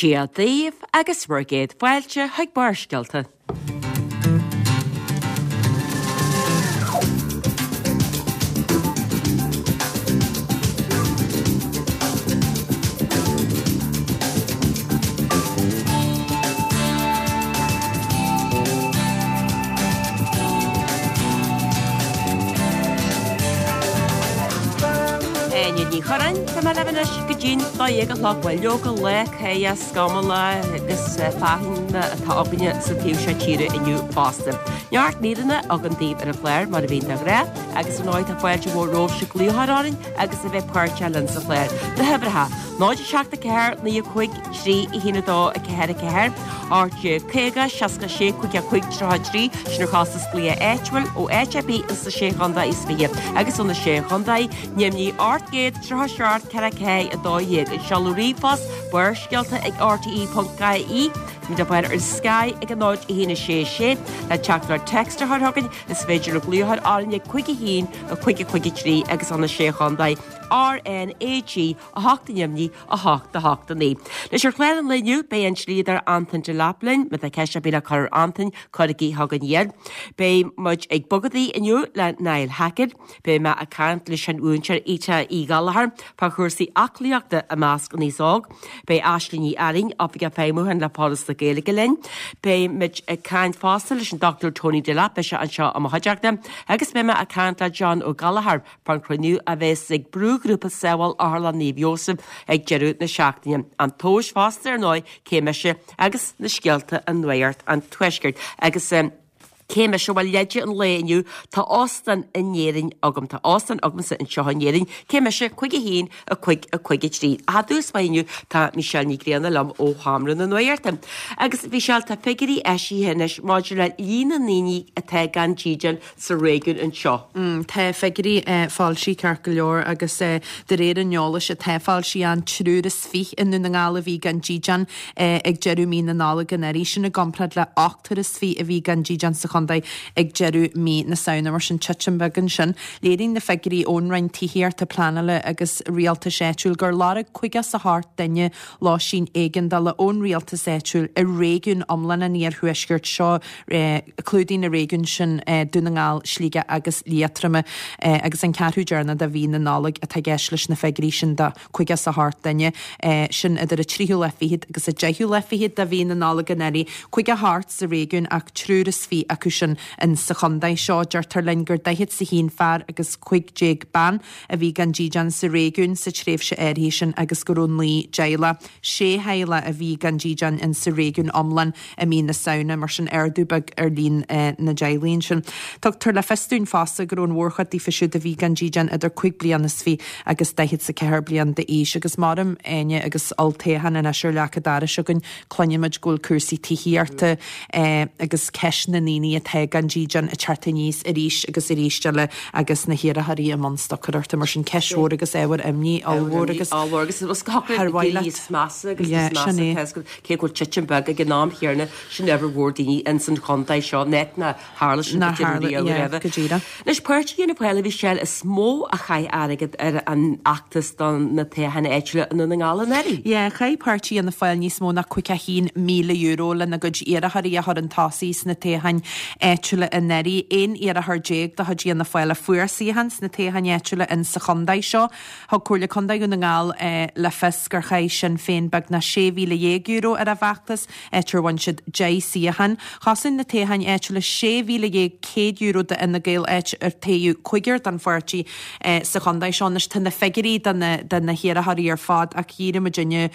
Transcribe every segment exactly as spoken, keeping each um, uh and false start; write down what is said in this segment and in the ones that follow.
Dia daoibh agus bhur gcéad fáilte chuig Barrscéalta. Áine Ní Churráin, tá mé libh anois go dtí'n dó dhéag a chlog. Bhuel, leoga lá céidhe scamallach agus fearthainne atá againne sa taobh seo tíre inniu fosta. Neart míreanna againn daoibh ar an chlár mar a bhíonn de ghnáth agus ar ndóigh tá fáilte mhór romhaibhse glaoch a chur orainn agus a bheith páirteach linn sa chlár. Na huimhreacha, náid a seacht a ceathair naoi a cúig trí a haon a dó a ceathair a ceathair, ocht déag caoga seasca sé cúig a cúig tríocha a trí, sin ar chostas glaoch áitiúil ó áit ar bith ins na Sé Chontae is Fiche agus ó na Sé Chontae, Neimnigh ocht gcéad tríocha seacht ceithre ceathair a dó dhéag. An seoladh ríomhphost, Barrscéalta ag R T E ponc I E. Táimid le fáil ar Sky ag a náid a haon a sé sé. Le teachtaireacht text a chur chugainn, is féidir libh glaoch a chur orainn ag cúig a haon a cúig a cúig a trí agus ó na Sé Chontae R N A G a hocht a neimnigh a hocht a hocht a naoi. Anois ar chlár an lae inniu beidh an dlíodóir Antain Delap linn, má tá ceist ar bith le cur ar Antain, cuirigí chugainn iad. Beidh muid ag bogadaí inniu le Niall Hackett. Beidh mé ag caint leis an mhúinteoir Ita Uí Ghallchóir fá chúrsaí aclaíochta i measc an aos óg. Beidh Aisling Ní Fhearraing, Oifigeach Feidhmiúcháin le Foras na Gaeilge linn. Beidh muid ag caint fosta leis an Dochtúir Tony Delap, beidh sé anseo i mo chuideachta, agus beidh mé ag caint le John Ó Gallchóir fán chruinniú a bheas ag brúghrúpa Sábháil Otharlann Naomh Iósaf ag deireadh na seachtaine. An tomhas fosta ar ndóigh, cé mise agus na scéalta i Nuacht an Tuaiscirt. Agus cé mise? Bhuel, leide an lae inniu, tá óstán in Éirinn agam. Tá óstán agamsa anseo in Éirinn. Cé mise? Cúig a haon, a cúig, a cúig a trí. Ach i dtús báire inniu, tá Michelle Ní Ghrianna liom ó Sheomra na Nuachta. Agus Michelle, tá figiúirí eisithe anois maidir le líon na ndaoine atá gan dídean sa réigiún anseo. Tá figiúirí foilsithe ceart go leor agus de réir an eolais atá foilsithe an triúr is fiche i nDún na nGall a bhí gan dídean ag deireadh mí na Nollag anuraidh, sin i gcomparáid le ochtar is fiche a bhí gan dídean sa chontae ag deireadh mí na Samhna, mar sin titim beag ansin. Léiríonn na figiúirí ón Roinn Tithíochta, Pleanála agus Rialtais Áitiúil gur lorg caoga is a hocht duine lóistín éigeandála ón rialtas áitiúil i réigiún iomlán an iarthuaiscirt seo, clúdaíonn na réigiúin sin Dún na nGall, Sligeach agus Liatroma, agus an ceathrú deireanach de mhí na Nollag atá i gceist leis na figiúirí sin de caoga is a hocht duine, sin idir an tríú lá fichead agus an deichiú lá fichead de mhí na Nollag anuraidh. Caoga a hocht sa réigiún ach triúr is fiche acu sin in sa chontae seo. Deirtear linn gur daichead is a haon fear agus cúig déag bean a bhí gan dídean sa réigiún sa tréimhse áirithe sin agus go raibh naoi dteaghlach, sé theaghlach a bhí gan dídean in sa réigiún iomlán i mí na Samhna, mar sin ardú beag ar líon na dteaghlaigh ansin. Tugtar le fios dúinn fosta go raibh an mhórchuid daofa siúd a bhí gan dídean idir cúig bliana is fiche agus daichead is a ceathair bliain d'aois agus maram Áine agus olltoghchán anois ar leac an dorais againn, cluinimid go bhfuil cúrsaí tithíochta agus ceist na ndaoine atá gan dídean ag teacht aníos arís agus arís eile agus na hiarrthóirí i mbun stocaireachta mar sin ceist mhór agus ábhar imní ollmhór agus ollmhór agus is thar mhaith leat. Níos measa agus níos measa cé go bhfuil titim beag ag an am chéanna sin ábhar mhór daoine ins an chontae seo net na tharla sin Nár tharla, yeah, go díreach. Anois páirtí Fhianna Fáil a Mhichelle is mó a chaith airgead ar an fheachtas do na toghcháin áitiúla i nDún na nGall anuraidh. Yeah, chaith páirtí Fhianna Fáil níos mó ná caoga a haon míle euro lena gcuid iarrthóirí a chur chun tosaigh sna toghcháin áitiúla anuraidh. Aon iarrthóir déag de chuid Fhianna Fáil a fuair suíochán sna toghcháin áitiúla in sa chontae seo. Thug Comhairle Contae Dhún na nGall le fios gur chaith Sinn Féin beagnach sé mhíle dhéag euro ar a bhfeachtas, áit ar bhain siad deich suíochán. Chosain na toghcháin áitiúla sé mhíle dhéag céad euro d'Fhine Gael, áit ar toghadh cúigear don pháirtí sa chontae seo. Anois tá na figiúirí do na do na hiarrthóirí ar fad ach dhírigh muidinne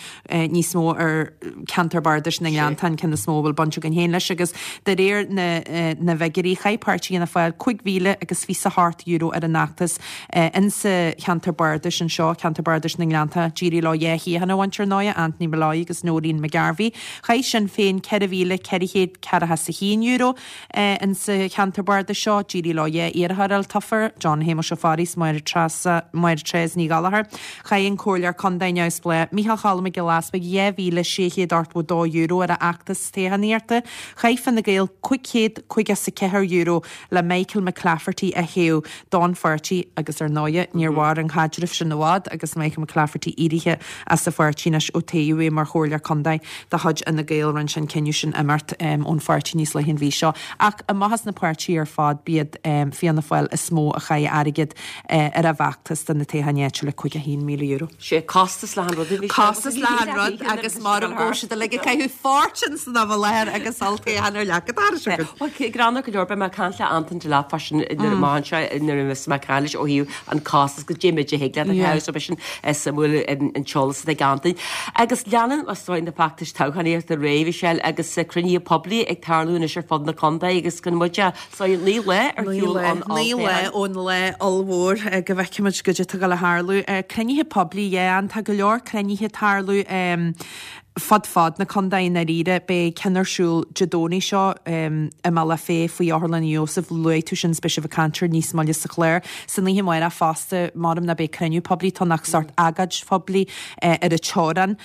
níos mó ar cheantar bardais na nGleanntach, an ceann is mó a bhfuil baint againn féin leis, agus de réir na na bhfigiúirí chaith páirtí Fhianna Fáil cúig mhíle agus fiche a hocht euro ar an fheachtas insa cheantar bardais anseo, ceantar bardais na nGleanntach. D'éirigh leo dhá shuíochán a bhaint ar ndóigh, Anthony Molloy agus Noreen McGarvey. Chaith Sinn Féin ceithre mhíle ceithre chéad ceathracha is a haon euro insa cheantar bardais seo. D'éirigh leo dhá iarrthóir a fháil tofa, John Shéamuis Ó Fearraigh is Máire Treasa, Máire Treasa Ní Ghallchóir. Chaith an Comhairleoir Contae neamhspleách Micheál Cholm Mac Giolla Easpaig dhá mhíle sé chéad ochtó dó euro ar a fheachtas toghchánaíochta. Chaith Fine Gael cúig chéad caoga is a ceathair euro le Michael McClafferty a thoghadh don pháirtí agus ar ndóigh níor mhair an caidreamh sin i bhfad agus Michael McClafferty éirithe as an pháirtí anois ó toghadh é mar chomhairleoir contae de chuid Fhine Gael rinne sé an cinneadh sin imeacht ón pháirtí níos luaithe an mhí seo. Ach amach as na páirtithe ar fad b'iad Fianna Fáil is mó a chaith airgead ar a bhfeachtas do na toghcháin áitiúla caoga haon míle euro. Sé costas le han rud a bhí sé. Costas le han rud agus mar an gcóir siad uilig ag caitheamh fortune san am i láthair agus olltoghchán ar leac an dorais acu. Bhuel, greannmhar go leor, beidh mé ag caint le Anton Delap freisin nuair amach anseo nuair a bheas mé ag caint leis ó thaobh an costas go dté muid a thig leat a chaitheamh so beidh sin suimiúil an t-eolas atá ag Anton. Agus leanann is dóigh na feachtais toghchánaíochta ar aghaidh, Michelle, agus cruinnithe poiblí ag tarlú anois ar fud na contae agus gan muid a so naoi lá ar shiúl ón Naoi lá ón lá ollmhór go bhfeicfimid goidé atá ag gabháil a tharlú. Cruinnithe poiblí, yeah, tá go leor cruinnithe ag tarlú fud fad na contae i ndáiríre. Beidh ceann ar siúl Dé Domhnaigh seo i mBealach Féich faoi Otharlann Naomh Iósaf. Luaigh tú sin, beidh sibh ag caint air níos moille sa chlár. San oíche amárach fosta, maram ná beidh cruinniú poiblí ann ach sórt agóid phoiblí ar an teorainn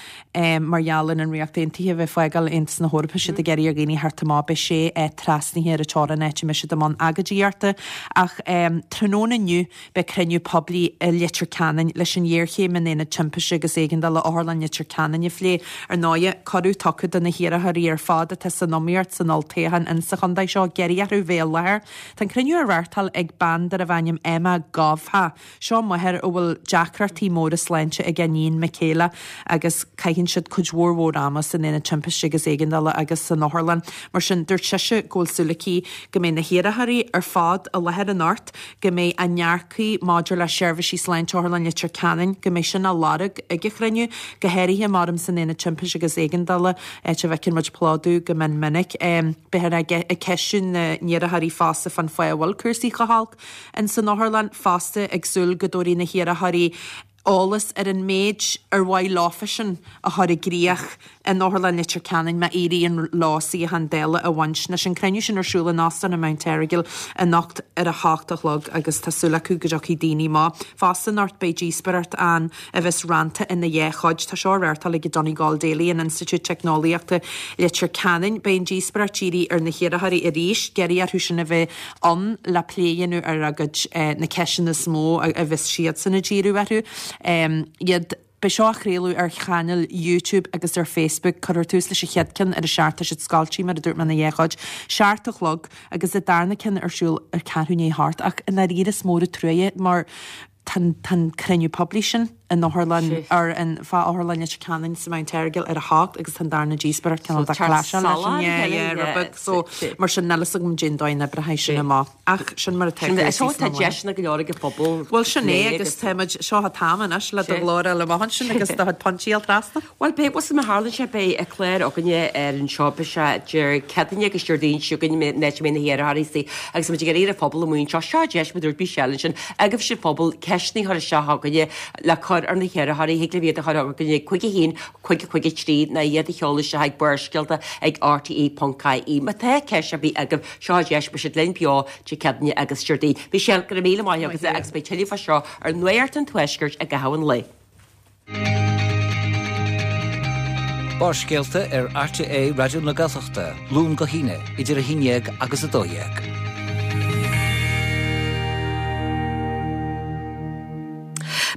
mar gheall ar an Ríocht Aontaithe a bheith ag fágáil Aontas na hEorpa. Siad ag iarraidh ar dhaoine theacht amach. Beidh sé áit trasnaithe ar an teorainn áit a mbeidh siad i mbun agóidíochta. Ach tráthnóna inniu beidh cruinniú poiblí i Leitir Ceanainn leis an ghéarchéim in Aonad Timpiste agus Éigeandála Otharlann Leitir Ceanainn a phlé. Ar ndóighe, cuireadh tugtha do na hiarrthóirí ar fad atá san iomaíocht san olltoghchán insa chontae seo iarraidh orthu bheith i láthair. Tá an cruinniú á reáchtáil ag bean darbh ainm Emma Gobhtha. Seo máthair a bhfuil deacrachtaí móra sláinte ag a iníon Michaela agus caitheann siad cuid mhór mhór ama san Aonad Timpiste agus Éigeandála agus san otharlann. Mar sin, dúirt sise go bhfuil súil aici go mbeidh na hiarrthóirí ar fad i láthair anocht, go mbeidh a ndearcthaí maidir le seirbhísí sláinte Otharlann Leitir Ceanainn, go mbeidh sin á lorg ag an chruinniú, go háirithe maram san Aonad Timpiste agus Éigeandála, áit a bhfeiceann muid plódú go mion minic. Beifear ag ceistiú na n-iarrthóirí fosta fán fáth a bhfuil cúrsaí chomh holc in san otharlann fosta, ag súil go dtabharfaidh na hiarrthóirí eolas ar an méid ar mhaith leofasan a chur i gcrích in Otharlann Leitir Ceanainn má éiríonn leo suíochán Dála a bhaint. Anois an cruinniú sin ar siúl in Óstán an Mount Errigal anocht ar a hocht a chlog agus tá súil acu go dtiocfaidh daoine amach. Fosta anocht beidh díospóireacht ann a bheas rannta ina dhá chuid. Tá seo á reáchtáil ag Donegal Daly in Institiúid Teicneolaíochta Leitir Ceanainn. Beidh an díospóireacht dírithe ar na hiarrthóirí arís, ag iarraidh orthu sin a bheith ann le plé a dhéanamh ar a gcuid na ceisteanna is mó a bheas siadsan ag díriú orthu. Iad. Beidh seo á chraoladh ar chainéil YouTube agus ar Facebook. Cuirfear tús leis an chéad ceann ar a seacht. Tá siad scoilte, mar a dúirt mé, ina dhá chuid. Seacht a chlog agus an darna ceann ar siúl ar ceathrú i ndiaidh a hocht. Ach i ndáiríre is mór an truaighe mar tá an cruinniú poiblí sin in otharlann ar an fá Otharlann Leitir Ceanainn sa Mount Errigal ar a hocht agus tá an darna díospóireacht cineál de clash-áil leis an yeah, yeah, rud beag. So mar sin níl fhios agam cén dóigh a n-oibreoidh sin amach. Ach sin mar atá cúrsaí sna Tá deiseanna go leor ag an phobal. Bhuel sin é agus táimid seo an t-am anois le do ghlór a fháil amach ansin agus do chuid pointí a fháil trasna. Bhuel beidh bhuel má tharlaíonn sé beidh clár againne ar an seo beidh sé Dé Céadaoine agus Déardaoin seo chugainn an áit a mbeidh na hiarrthóirí istigh agus muid ag iarraidh ar an phobal amuigh anseo seo deis mar a dúirt Michelle ansin agaibhse an phobal ceisteanna a chur isteach chugainne le cur ar na hiarrthóirí thig libh iad a chur chugainne ag cúig a haon cúig cúig a trí nó iad a sheoladh isteach ag Barrscéalta ag rte ponc ie. Má tá ceist ar bith agaibh, seo an deis, beidh siad linn beo Dé Céadaoine agus Déardaoin. Michelle, go raibh míle maith agat agus beidh tuilleadh fá seo ar Nuacht an Tuaiscirt i gcaitheamh an lae. Barrscéalta ar RTÉ Raidió na Gaeltachta, Luan go hAoine, idir a haon déag agus a dó dhéag.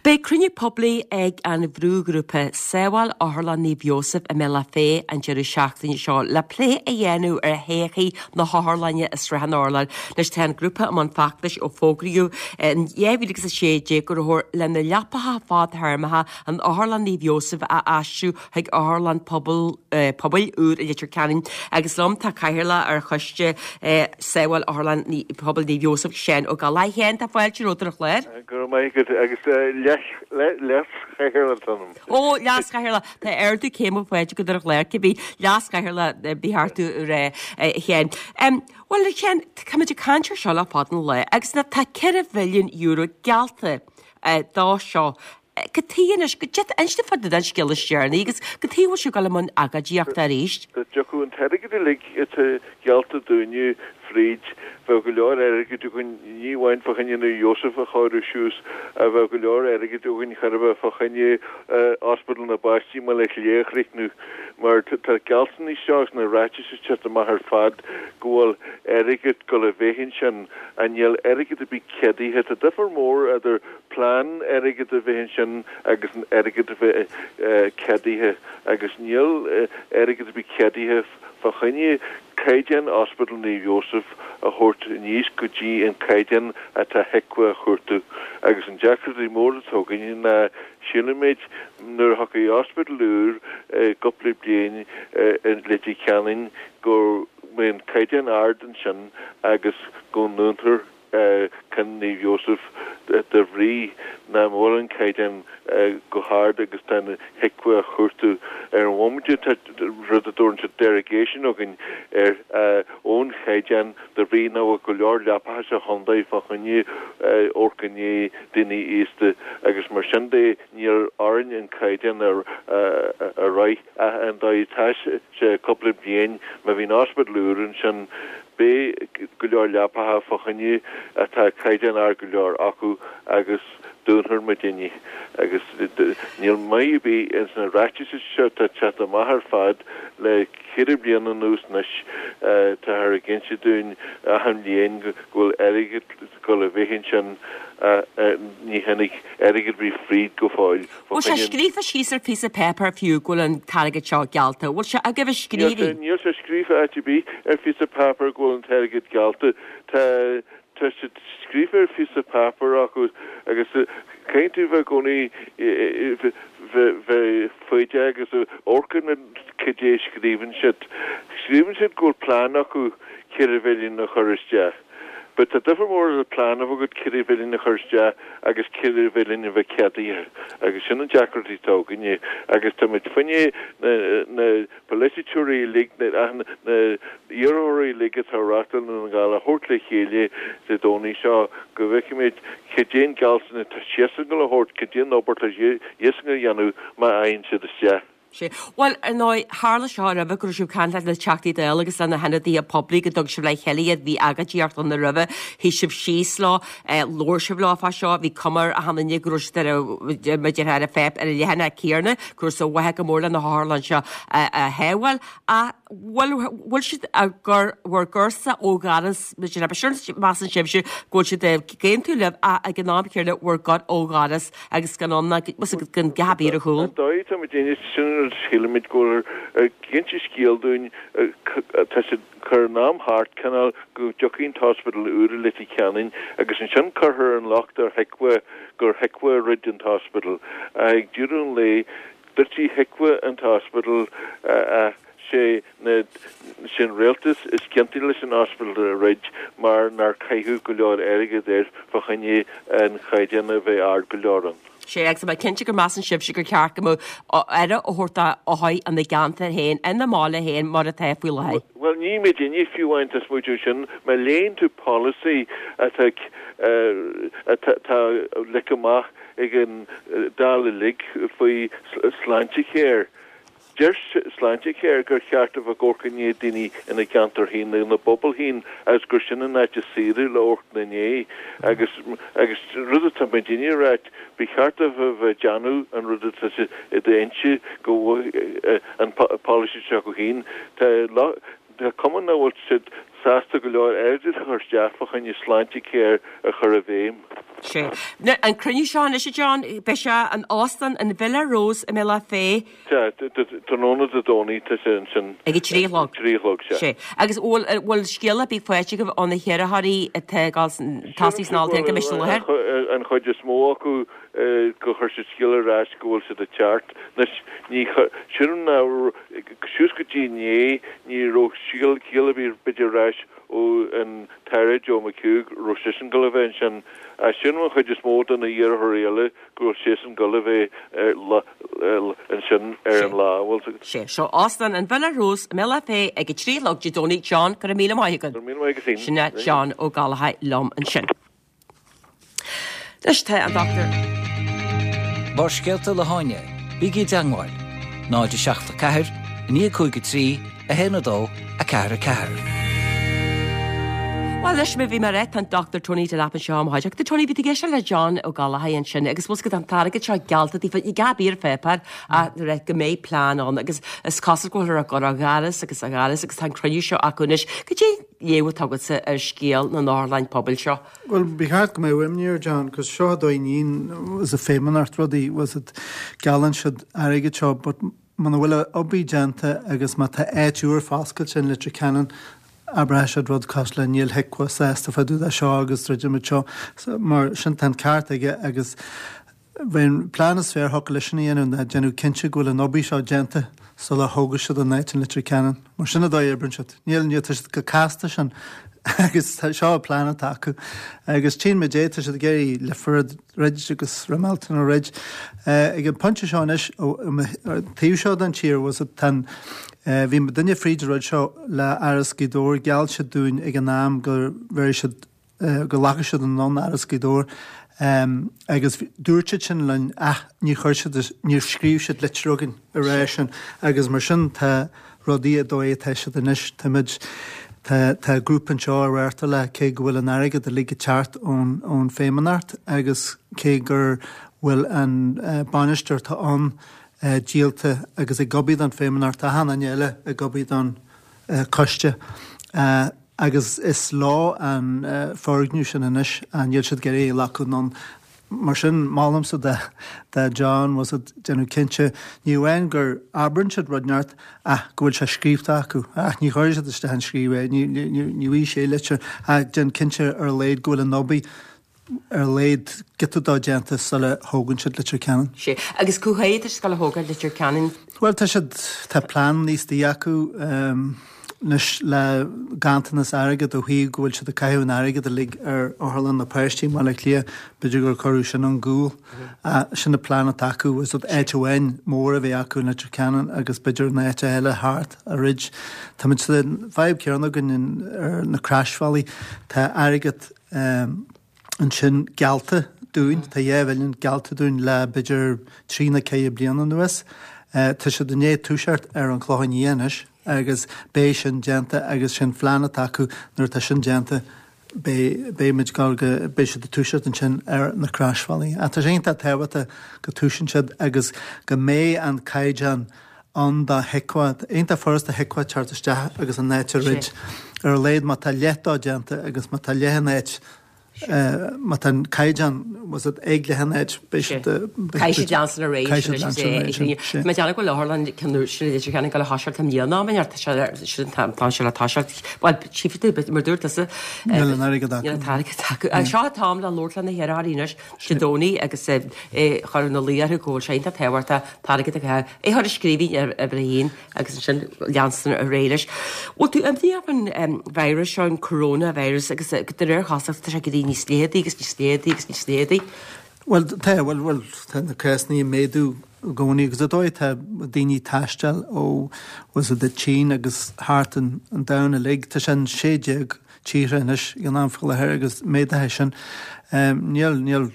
Beidh cruinniú poiblí ag an bhrúghrúpa Sábháil Otharlann Naomh Iósaf i mBealach Féich an deireadh seachtaine seo le plé a dhéanamh ar thodhchaí na hotharlainne i Srath an Urláir. Anois tá an grúpa i mbun feachtais ó fógraíodh in dhá mhíle agus a sé déag go rabhthar le na leapacha fadthéarmacha in Otharlann Naomh Iósaf a aistriú chuig otharlann pobail pobail úr i Leitir Ceanainn agus liom tá cathaoirleach ar choiste Sábháil Otharlann Pobail Naomh Iósaf, Seán Ó Gallchóir. A Sheáin, tá fáilte romhat ar an chlár. Go raibh maith agat agus leas-chathaoirleach atá ionam. Ó, leas-chathaoirleach, tá ardú céime faighte agat ar an chlár, cibé, leas-chathaoirleach ba cheart tú a rá, a Sheáin. Bhuel, a Sheáin, táimid ag caint ar seo le fada an lá agus tá ceithre mhilliún euro geallta dó seo. Cad chuige anois, go dtig, inis dom fá dtaobh den scéal is deireanaí agus cad chuige a bhfuil sibh ag dul i mbun agóidíochta arís? Dá dtiocfadh an t-airgead uilig atá geallta dúinne fríd, bheadh go leor airgid againn, ní amháin fá choinne Naomh Iósaf a chóiriú suas, ach bheadh go leor airgid againn chóir a bheith fá choinne Ospidéal na bPáistí i mBaile Átha Cliath a chríochnú, mar tá gealltanais seo agus na ráitis ag teacht amach ar fad go bhfuil airgead ag dul a bheith ansin, ach níl airgead ar bith ceadaithe. Tá difear mór idir plean airgid a bheith ansin agus an airgead a bheith ceadaithe, agus níl airgead ar bith ceadaithe fá choinne caighdeán Ospidéal Naomh Iósaf a thabhairt aníos go dtí an caighdeán atá HIQA a chuartú. Agus an deacrachtaí mór atá againn ná sílimid nuair a thiocfaidh ospidéal úr i gcúpla bliain i Leitir Ceanainn go mbeidh an caighdeán ard ansin agus go ndúntar ceann Naomh Iósaf de bhrí nach bhfuil an caighdeán go hard agus tá an HIQA a chuartú. Ar an bhomaite tá rud a dtabharann siad derogation againn ar ón chaighdeán de bhrí nach bhfuil go leor leapacha sa chontae fá choinne amharc i ndiaidh daoine aosta agus mar sin de níl orainn an caighdeán a rith ach an dóigh atá sé cúpla bliain má bhíonn ospidéal úr ansin Beidh go leor leapacha fá choinne atá caighdeán ard go leor acu agus dúnfar muidinne agus níl maith ar bith ins na ráitis seo atá ag teacht amach ar fad le ceithre bliana anuas anois táthar ag inse dúinn achan bhliain go bhfuil airgead ag dul a bheith ansin ní tháinig airgead ar bith fríd go fóill fá Bhfuil sé choinne. scríofa síos ar phíosa páipéir fiú go bhfuil an t-airgead seo geallta? Bhfuil sé agaibh i Níl sé, scríbhinn? níl sé scríofa áit ar bith ar phíosa páipéir go bhfuil an t-airgead geallta. Tá, tá sé scríofa ar phíosa páipéir acu agus caithfidh tú bheith i gcónaí bheith, bheith foighdeach agus amharc ar na cad é a scríobhann siad. Scríobhann siad go bhfuil plean acu ceithre mhilliún a chur isteach. But tá difear mór idir plean a bheith agat ceithre mhilliún a chur isteach agus ceithre mhilliún a bheith ceadaithe agus sin an deacracht atá againne agus tá muid fá choinne na na polaiteoirí uilig na na iarrthóirí uilig atá ag reachtáil i nDún na nGall a thabhairt le chéile Dé Domhnaigh seo go bhfeicfimid cad é an gealltanas atá siadsan ag dul a thabhairt, cad é an obair atá siadsan a dhéanamh má fhaigheann siad isteach. Sea. Bhuel, ar ndóigh, tharla seo roimhe go raibh sibh ag caint leis na Teachtaí Dála agus le na hionadaithe poiblí go dtug sibh le chéile iad, bhí agóidíocht ann roimhe, shuigh sibh síos leo, labhair sibh leo fá seo, bhí cuma ar achan duine go raibh siad ar a, mar a déarfá, ar an pháip, ar an leathanach céanna, go raibh sa mhaithe go mór le na hotharlanna seo a shábháil. Ach bhfuil, bhfuil siad ag cur bhur gcur-sa ó dhoras, mar a déarfá, measann sibhse go bhfuil siad ag aontú libh ach ag an am céanna bhur gcur ó dhoras agus gan ann ná gan gap ar a chúl. An dóigh atá muid ag déanamh, sin an rud a shílimid go bhfuil ag inse scéal dúinn, tá siad ag cur an am thart cineál go dtiocfaidh an t-ospidéal úr i Leitir Ceanainn agus ansin cuirfear an locht ar HIQA gur HIQA a dhruid an t-ospidéal. Ach ag deireadh an lae, druidfidh HIQA an t-ospidéal ach sé na, sé an rialtas is ciontaí leis an ospidéal a dhruid mar nár caitheadh go leor airgead air fá choinne an chaighdeán a bheith ard go leor ann. Sea, agus tá mé cinnte go measann sibhse gur ceart go mbeadh aire á thabhairt d'othair ina gceantar féin, ina mbaile féin, mar atá faoi láthair. Bhuel, ní muidinne fiú amháin atá ag smaoitiú sin. Má léann tú polasaí atá, atá leagtha amach ag an Dáil uilig faoi Sláintecare, Deir Sláintecare gur cheart a bheith ag amharc i ndiaidh daoine ina gceantar féin, ina bpobal féin agus gur sin an áit is saoire le amharc ina ndiaidh. Agus agus rud atá muidinne a ráit, ba cheart dóibh a bheith ag déanamh an rud atá siad ag inse go bhfuil an polasaí seo acu féin. Tá Tá cuma nach bhfuil siad sásta go leor airgid a chur isteach fá choinne Sláintecare a chur i bhfeidhm. Sea. An cruinniú seo anois, a John, beidh sé in Óstán an Villa Rose i mBealach Féich. Sea, tráthnóna Dé Domhnaigh tá sé ansin. Ag a trí a chlog. Trí a chlog, sea. Sea. Agus bhfuil, bhfuil scéala ar bith faighte agaibh ó na hiarrthóirí atá ag dul tosaí sna olltoghcháin go mbeidh siad i láthair? An chuid is mó acu gur chuir siad scéala ar ais go bhfuil siad ag teacht. Anois, ní, sílim ná, suas go dtí inné, ní raibh scéal ar bith b'fhéidir ar ais ó an tAire Joe McHugh, raibh seisean ag dul a bheith ansin. Ach sílim an chuid is mó de na iarrthóirí eile go bhfuil siadsan ag dul a bheith ansin ar an lá. Bhfuil a fhios agat. Sea, seo Óstán an Villa Rose i mBealach Féich ag a trí a chlog Dé Domhnaigh. John, go raibh míle maith agat. Go raibh míle maith agat féin. Sin é John Ó Gallchóir liom ansin. Anois tá an Dochtúir. Barrscéalta le hÁine, bígí i dteangmháil, náid a seacht a ceathair, a naoi a cúig a trí, a haon a dó, a ceathair a ceathair. Well leis mé bhí mar tá an Dr Tony Delap anseo am háideach. Tá Tony bhí géise le John Ó Gallachóir ansin agus bhus go an t-airgead seo geallta daofa i gabíar fépair a re go méid plean ann agus is cosúil go bhfuil go a gharas agus a gharas agus tá an cruinniú seo acu anois. Cad é léamh atá agatsa ar scéal na n-otharlann pobail seo. Well ba cheart go mbeadh imní ar John, cos seo dóinín was a feidhmeannacht rudaí was it geallann siad airgead seo, but muna bhfuil obair déanta agus má tá áit úr foscailte in Leitir Ceanainn abraithfidh siad rud cosúil le níl HIQA sásta fá dtaobh de seo agus druidimid seo mar sin tá an ceart aige agus bheadh plean is fearr thiocfadh leis sin a dhéanamh ná déanamh cinnte go bhfuil an obair seo déanta sula thógfaidh siad an áit in Leitir Ceanainn. Mar sin an dóigh a oibríonn siad. Níl níl tá siad chomh casta sin agus seo an plean atá acu. Agus tchíonn muid é tá siad ag iarraidh Leifear a dhruid agus Ramelton a dhruid. Ag an pointe seo anois taobh seo den tír was it tan bhí duine fríd an rud seo le Áras Ghaoth Dobhair gheall siad dúinn ag an am go bhfuil siad go nglacfaidh siad anonn Áras Ghaoth Dobhair um, agus dúirt siad sin linn ach ní chuir siad níor scríobh siad litir againn a rá sin agus mar sin tá rudaí a dóigh atá siad anois táimid Tá tá grúpa anseo a réirta le cé go bhfuil an airgead uilig ag teacht ón ón feidhmeannacht agus cé gur bhfuil an uh, bainisteoir atá ann uh, díolta agus ag obair don feidhmeannacht achan duine eile ag obair don uh, coiste. Uh, agus is lá an uh, foirgneamh sin anois an níl siad ag iarraidh glacadh anonn mar sin molaimse de de John was it déanamh cinnte ní amháin gur abraíonn siad rud neart ach go bhfuil sé scríofa acu ach ní chuir siad isteach an scríobh é ní ní bhí sé litir ach déan cinnte ar a laghad go bhfuil an obair ar a laghad giota dá déanta sula thógann siad Leitir Ceanainn. Sé agus cá háit is ag tógáil Leitir Ceanainn Well tá siad tá plean níos dí acu um, anois le ganntanas airgead ó thaobh go bhfuil siad ag caitheamh an airgead uilig ar otharlann na páistí Baile Átha Cliath b'fhéidir gur cuireadh sin an gcúl. Sin na plean atá acu is áit amháin mór a bheith acu in Leitir Ceanainn agus b'fhéidir na áit eile thart a rid. Tá muid sa fadhb céanna againn ar na Croisbhealaí tá airgead um, ansin geallta dúinn tá dhá mhilliún geallta dúinn le b'fhéidir trí nó ceithre bliana anuas. Uh, tá siad i ndiaidh toiseacht ar an Chlochán Liath anois agus beidh sin déanta agus sin plean atá acu nuair atá sin déanta beidh go beidh siad ag toiseacht ansin ar na Croisbhealaí. A tá sé tábhachtach go dtosaíonn siad agus go mbeidh an caighdeán an dá HIQA, iontach furasta HIQA teacht isteach agus an áit a dhruid ar a laghad má tá leath dá déanta agus má tá leath an áit má tá an caighdeán was it ag leath an áit Caithfidh siad leanstan ar aghaidh Má deanna go leatharlann ceanú sin idir cheanna go le thoiseacht am dhéanamh mar tá sé tá sé le toiseacht Well chief mar dúirt tusa Níl an airgead acu. Níl an t-airgead acu. Seo an t-am le labhairt le na hiarrthóirí anois Dé Domhnaigh agus chur na luí go bhfuil sé iontach tábhachtach t-airgead a é chur i scríbhinn ar ar bhíon agus sin leanstan ar aghaidh leis. Bhfuil tú imníoch an virus seo an coronavirus agus de réir chosúlachta tá sé go dtí níos léadaí agus níos léadaí agus níos léadaí. Well tá well well tá na cásanna ag méadú i gcónaí agus a dóigh tá daoine taisteal ó was it the Tsín agus thart an an domhan uilig tá sin sé déag tíortha anois ag an am faoi láthair agus méadaithe sin. Um, níl níl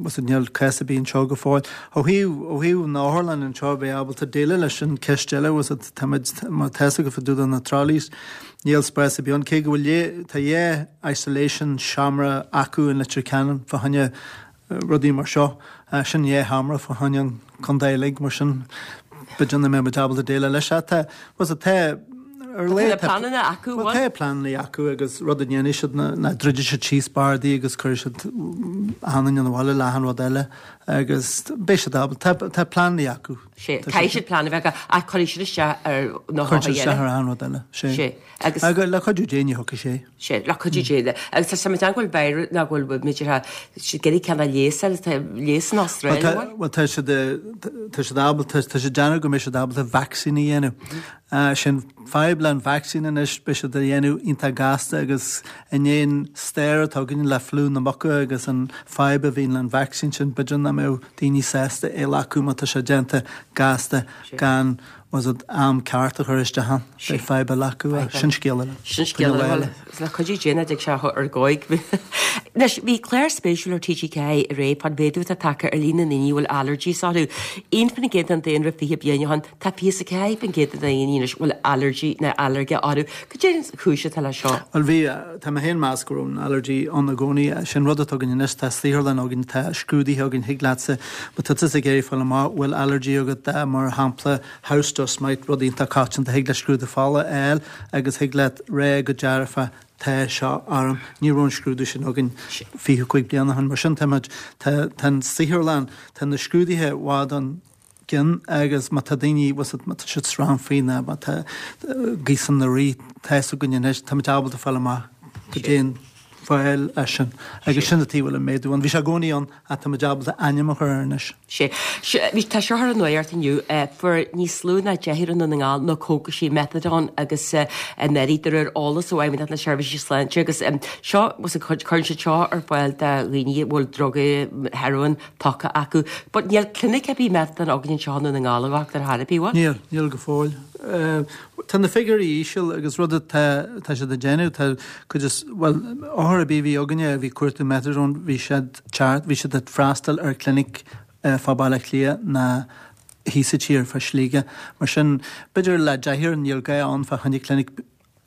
was it níl cás ar bith anseo go fóill. Ó thaobh ó thaobh na hotharlann anseo bheith ábalta déileáil leis sin ceist eile was it táimid má tá go fadú na trolleys níl spás ar bith ann cé go bhfuil tá dhá isolation seomra acu in Leitir Ceanainn fá choinne rudaí mar seo sin dhá sheomra fá choinne an contae uilig mar sin b'fhéidir nach mbeidh ábalta déileáil leis tá was it tá ar Tá pleananna acu Well, tá pleananna acu agus rud a dhéanfaidh siad ná ná druidfidh siad síos bardaí agus cuirfidh siad achan duine abhaile le achan rud eile agus beidh siad ábalta tá tá pleananna acu. Sé caithfidh siad plean a bheith ach cuirfidh siad isteach ar na Cuirfidh siad isteach ar achan rud eile. Sé. Sé. Agus Agus le cuidiú Dé ní thiocfaidh sé. sé le cuidiú Dé agus tá sé go bhfuil beir ná go bhfuil méidir siad ag iarraidh ceann a leigheas tá leigheas in Australia. Well tá siad tá siad ábalta tá siad déanamh go mbeidh siad ábalta vaccine a dhéanamh. Sin fadhb le an vaccine anois beidh siad a dhéanamh iontach gasta agus in aon stair atá againn le fliú na muca agus an fadhb a bhíonn le an vaccine sin b'fhéidir nach mbeadh daoine sásta é a ghlacadh má tá sé déanta gasta gan was it am ceart a chur isteach ann. Beidh fadhb eile acu, sin scéal eile. Sin scéal eile. Le cuidiú Dé ná dtig sé ar dhóigh. Anois, bhí clár spéisiúil ar T G ceathair aréir fán mhéadú atá tagtha ar líon na ndaoine a bhfuil allergies orthu. Aon faoin gcéad den daonra fiche bliain ó shin, tá fiche a ceathair faoin gcéad de dhaoine anois a bhfuil allergy nó ailléirge orthu. Cad é an chúis atá leis seo? Bhuel bhí, tá mé féin meas go raibh an allergy ann i gcónaí. Sin rud atá againn anois, tá saotharlann againn, tá scrúduithe againn, thig leatsa, má tá tusa ag iarraidh fáil amach bhfuil allergy agat, mar shampla house dust mite, rud iontach coitianta, thig leat scrúdú fola a fháil agus thig leat rá go dearfa tá seo orm. Ní raibh an scrúdú sin againn fiche cúig bliana ó shin. Mar sin táimid, tá, tá an saotharlann, tá na scrúduithe i bhfad chun cinn agus má tá daoine, má tá siad srannfaí nó má tá gaosanna ag rith, tá fhios againn anois, táimid ábalta fáil amach cad é an fáil é sin. Agus sin an tuige a bhfuil an méadú ann. Bhí sé i gcónaí ann ach táimid ábalta ainm a chur air anois. Sé. Bhí, tá seo ar an nuacht inniu, fuair níos lú ná deichniúr i nDún na nGall na cógaisí methadone agus anuraidh de réir eolas ó Fheidhmeannacht na Seirbhíse Sláinte agus seo, cuireann siad seo ar fáil do dhaoine a bhfuil drugaí, heroin tugtha acu. But níl clinic ar bith methadone againn anseo i nDún na nGall a dhochtúir ar chor ar bith, bhfuil? Níl, níl go fóill. Tá na figiúirí íseal agus rud atá tá siad ag déanamh, tá cuid is, bhuel, othar ar bith a bhí againne a bhí ag cuartú methadone, bhí siad teacht, bhí siad ag freastal ar clinic fá Baile Átha Cliath ná thíos sa tír fá Shligigh. Mar sin, b'fhéidir le deichniúr níl gá ann fá choinne clinic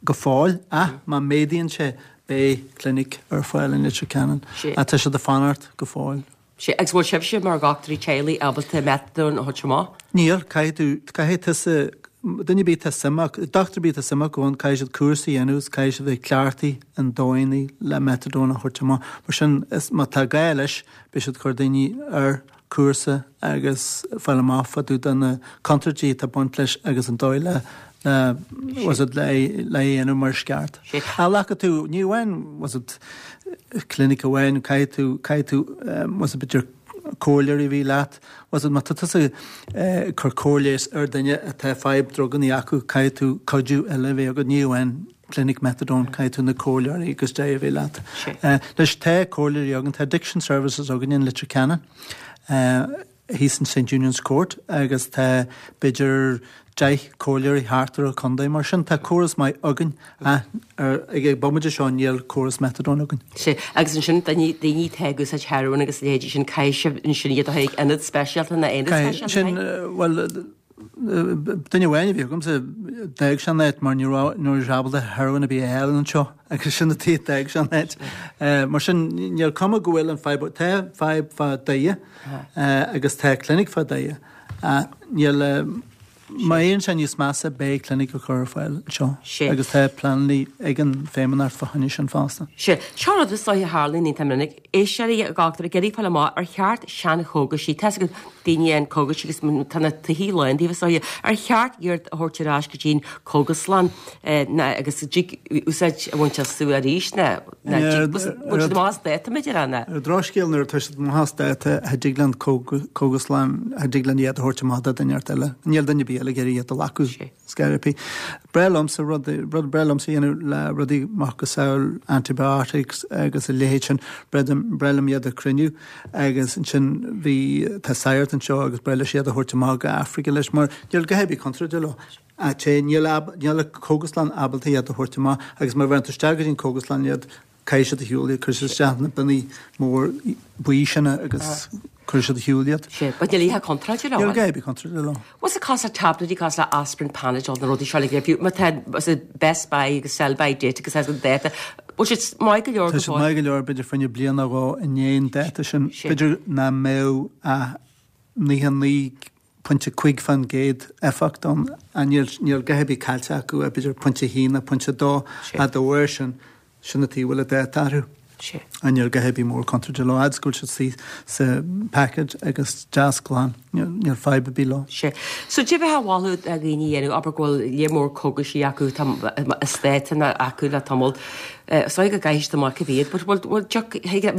go fóill ach má méadaíonn sé beidh clinic ar fáil in Leitir Ceanainn. Ach tá siad ag fanacht go fóill. Sea, agus bhfuil sibhse mar dhochtúirí teaghlaigh ábalta methadone a thabhairt amach? Níl, caithfidh tú, caithfidh tusa, duine ar bith atá suim acu, dochtúir ar bith atá suim acu ann, caithfidh siad cúrsa a dhéanamh is caithfidh siad bheith cleachtaithe in dóigheanna le methadone a thabhairt amach. Mar sin, is, má tá gá leis, beidh siad ag cur daoine ar cúrsa agus fáil amach fá dtaobh de na contúirtí atá ag baint leis agus an dóigh le, le, was it, le, le é a dhéanamh mar is ceart. Ach glacfaidh tú, ní amháin, was it, clinic amháin, caithfidh tú, caithfidh tú, was it, b'fhéidir comhairleoirí a bheith leat, was it, má tá tusa ag cur cóir leighis ar duine atá fadhb druganna acu, caithfidh tú cuidiú eile a bheith agat, ní amháin clinic methadone, caithfidh tú na comhairleoirí agus dea a bheith leat. Anois tá comhairleoirí againn, tá addiction services againn in Leitir Ceanainn, thíos in Saint Eunan's Court agus tá b'fhéidir deich comhairleoirí thart ar an chontae. Mar sin tá córas maith againn ach ag an bomaite seo níl córas methadone againn. Sea, agus ansin daoine, daoine atá ag úsáid heroin agus a leithéidí sin, caithfidh sibh ansin iad a chur ag ionad speisialta nó aonad speisialta, Sin, bhuel, duine amháin a bhí agamsa, d'fhág sé an áit mar ní raibh, ní raibh sé ábalta heroin ar bith a fháil anseo agus sin an tuige a d'fhág sé an áit. Mar sin níl cuma go bhfuil an fadhb, tá fadhb fá Doire agus tá clinic fá Doire ach níl, má éiríonn sé níos measa beidh clinic á chur ar fáil anseo agus tá pleananna ag an Feidhmeannacht fá choinne sin fosta. Sea, seo rud is dóiche a tharlaíonn iontach minic. Éisteoirí a dhochtúir ag iarraidh fáil amach ar cheart seanchógaisí, tá fhios ag daoine an cógaisí agus tá na tithe lán díobh is dóiche, ar cheart iad a thabhairt ar ais go dtí'n cógaslann ná agus dtig úsáid a bhaint astu arís ná ná dtig bhfuil siad amach as dáta b'fhéidir ná? Ar an drochscéal nuair atá siad amach as dáta cha dtig le an cógaslann, cha dtig linn iad a thabhairt amach do dhuine inteacht eile. Níl duine ar bith eile ag iarraidh iad a ghlacadh. Scaireapí. Breá liomsa rud, rud breá liomsa a dhéanamh le rudaí macasamhail antibiotics agus a leithéid sin, breá breá liom iad a chruinniú agus ansin bhí, tá sagart anseo agus breá leis iad a thabhairt amach go Africa leis mar níl a dhath ar bith contúirteach leo. Ach té, níl ab, níl an cógaslann ábalta iad a thabhairt amach agus má bheireann tú isteach go dtí an cógaslann iad, Caithfidh siad ar shiúl iad, cuirfidh siad isteach na bionnaí mór buí sin agus cuirfidh siad ar shiúl iad. Sea, but níl a dhath contráilte leo. Níl a dhath ar bith contráilte leo. What's the cosúil le tablaidí cosúil le aspirin, Panadol, na rudaí seo le fiú má tá best buy agus sell by date agus as an dáta, bhfuil siad maith go leor go fóill? Tá siad maith go leor b'fhéidir fá choinne bliain nó dhó i ndiaidh an dáta sin. B'fhéidir nach mbeadh ach naocha naoi pointe cúig fán gcéad éifeacht ann. Níl níl a dhath ar bith caillte acu ach b'fhéidir pointe a haon nó pointe a dó ach dá bharr sin, sin an tuige a bhfuil an dáta orthu. Níl a dhath ar bith mór contúirteach leo. Fhad is go bhfuil siad istigh sa package agus deas glan, níl fadhb ar bith leo. Sea. So cad é a bheifeá a mholadh do dhaoine a dhéanamh, abair go bhfuil lear mór cógaisí acu, tá as dáta acu le tamall, is dóigh go gcaithfidh siad amach a bhí but bhfuil, bhfuil,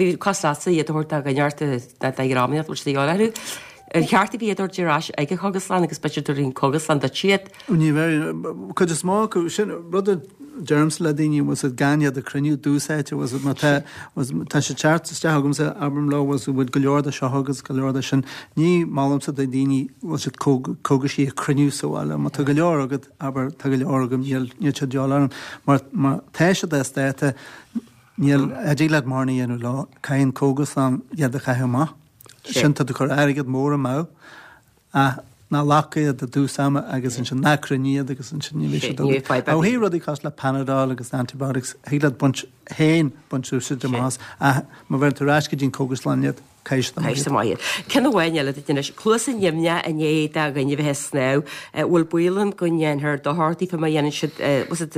bhí cás leatsa iad a thabhairt do dhuine ort, do dhream, bhfuil siad a dhíobháil orthu? Ar cheart iad a thabhairt ar ais ag an chógaslann agus b'fhéidir tabharfaidh an cógaslann duit iad? Ní bheidh. Cuid is mó acu, sin rud a deirimse le daoine was it gan iad a chruinniú dúsáite was it má tá was tá sé ceart isteach agamsa abraim leo was bhfuil go leor de seo agus go leor de sin ní molaimse do daoine was it cógaisí a chruinniú sa bhaile má tá go leor agat abair tá go leor agam níl níl sé de dhíobháil orm mar má tá siad as dáta níl a dtig leat mórán a dhéanamh leo caithfidh an cógaslann iad a chaitheamh amach sin tá tú ag cur airgead mór amú ach ná glac iad i dtús ama agus ansin ná cruinnigh iad agus ansin ní bheidh siad agat. Ó thaobh rudaí cosúil le Panadol agus antibiotics, thig leat baint féin baint úsáid amach ach má bheireann tú ar ais go dtí an cógaslann iad, caithfidh siad amach iad. Caithfidh siad amach iad. Ceann amháin eile duit anois, cluasa nimhneach i ndiaidh do dhuine bheith ag snámh, bhfuil baol ann go ndéanfar dochar daofa má dhéanann siad, was it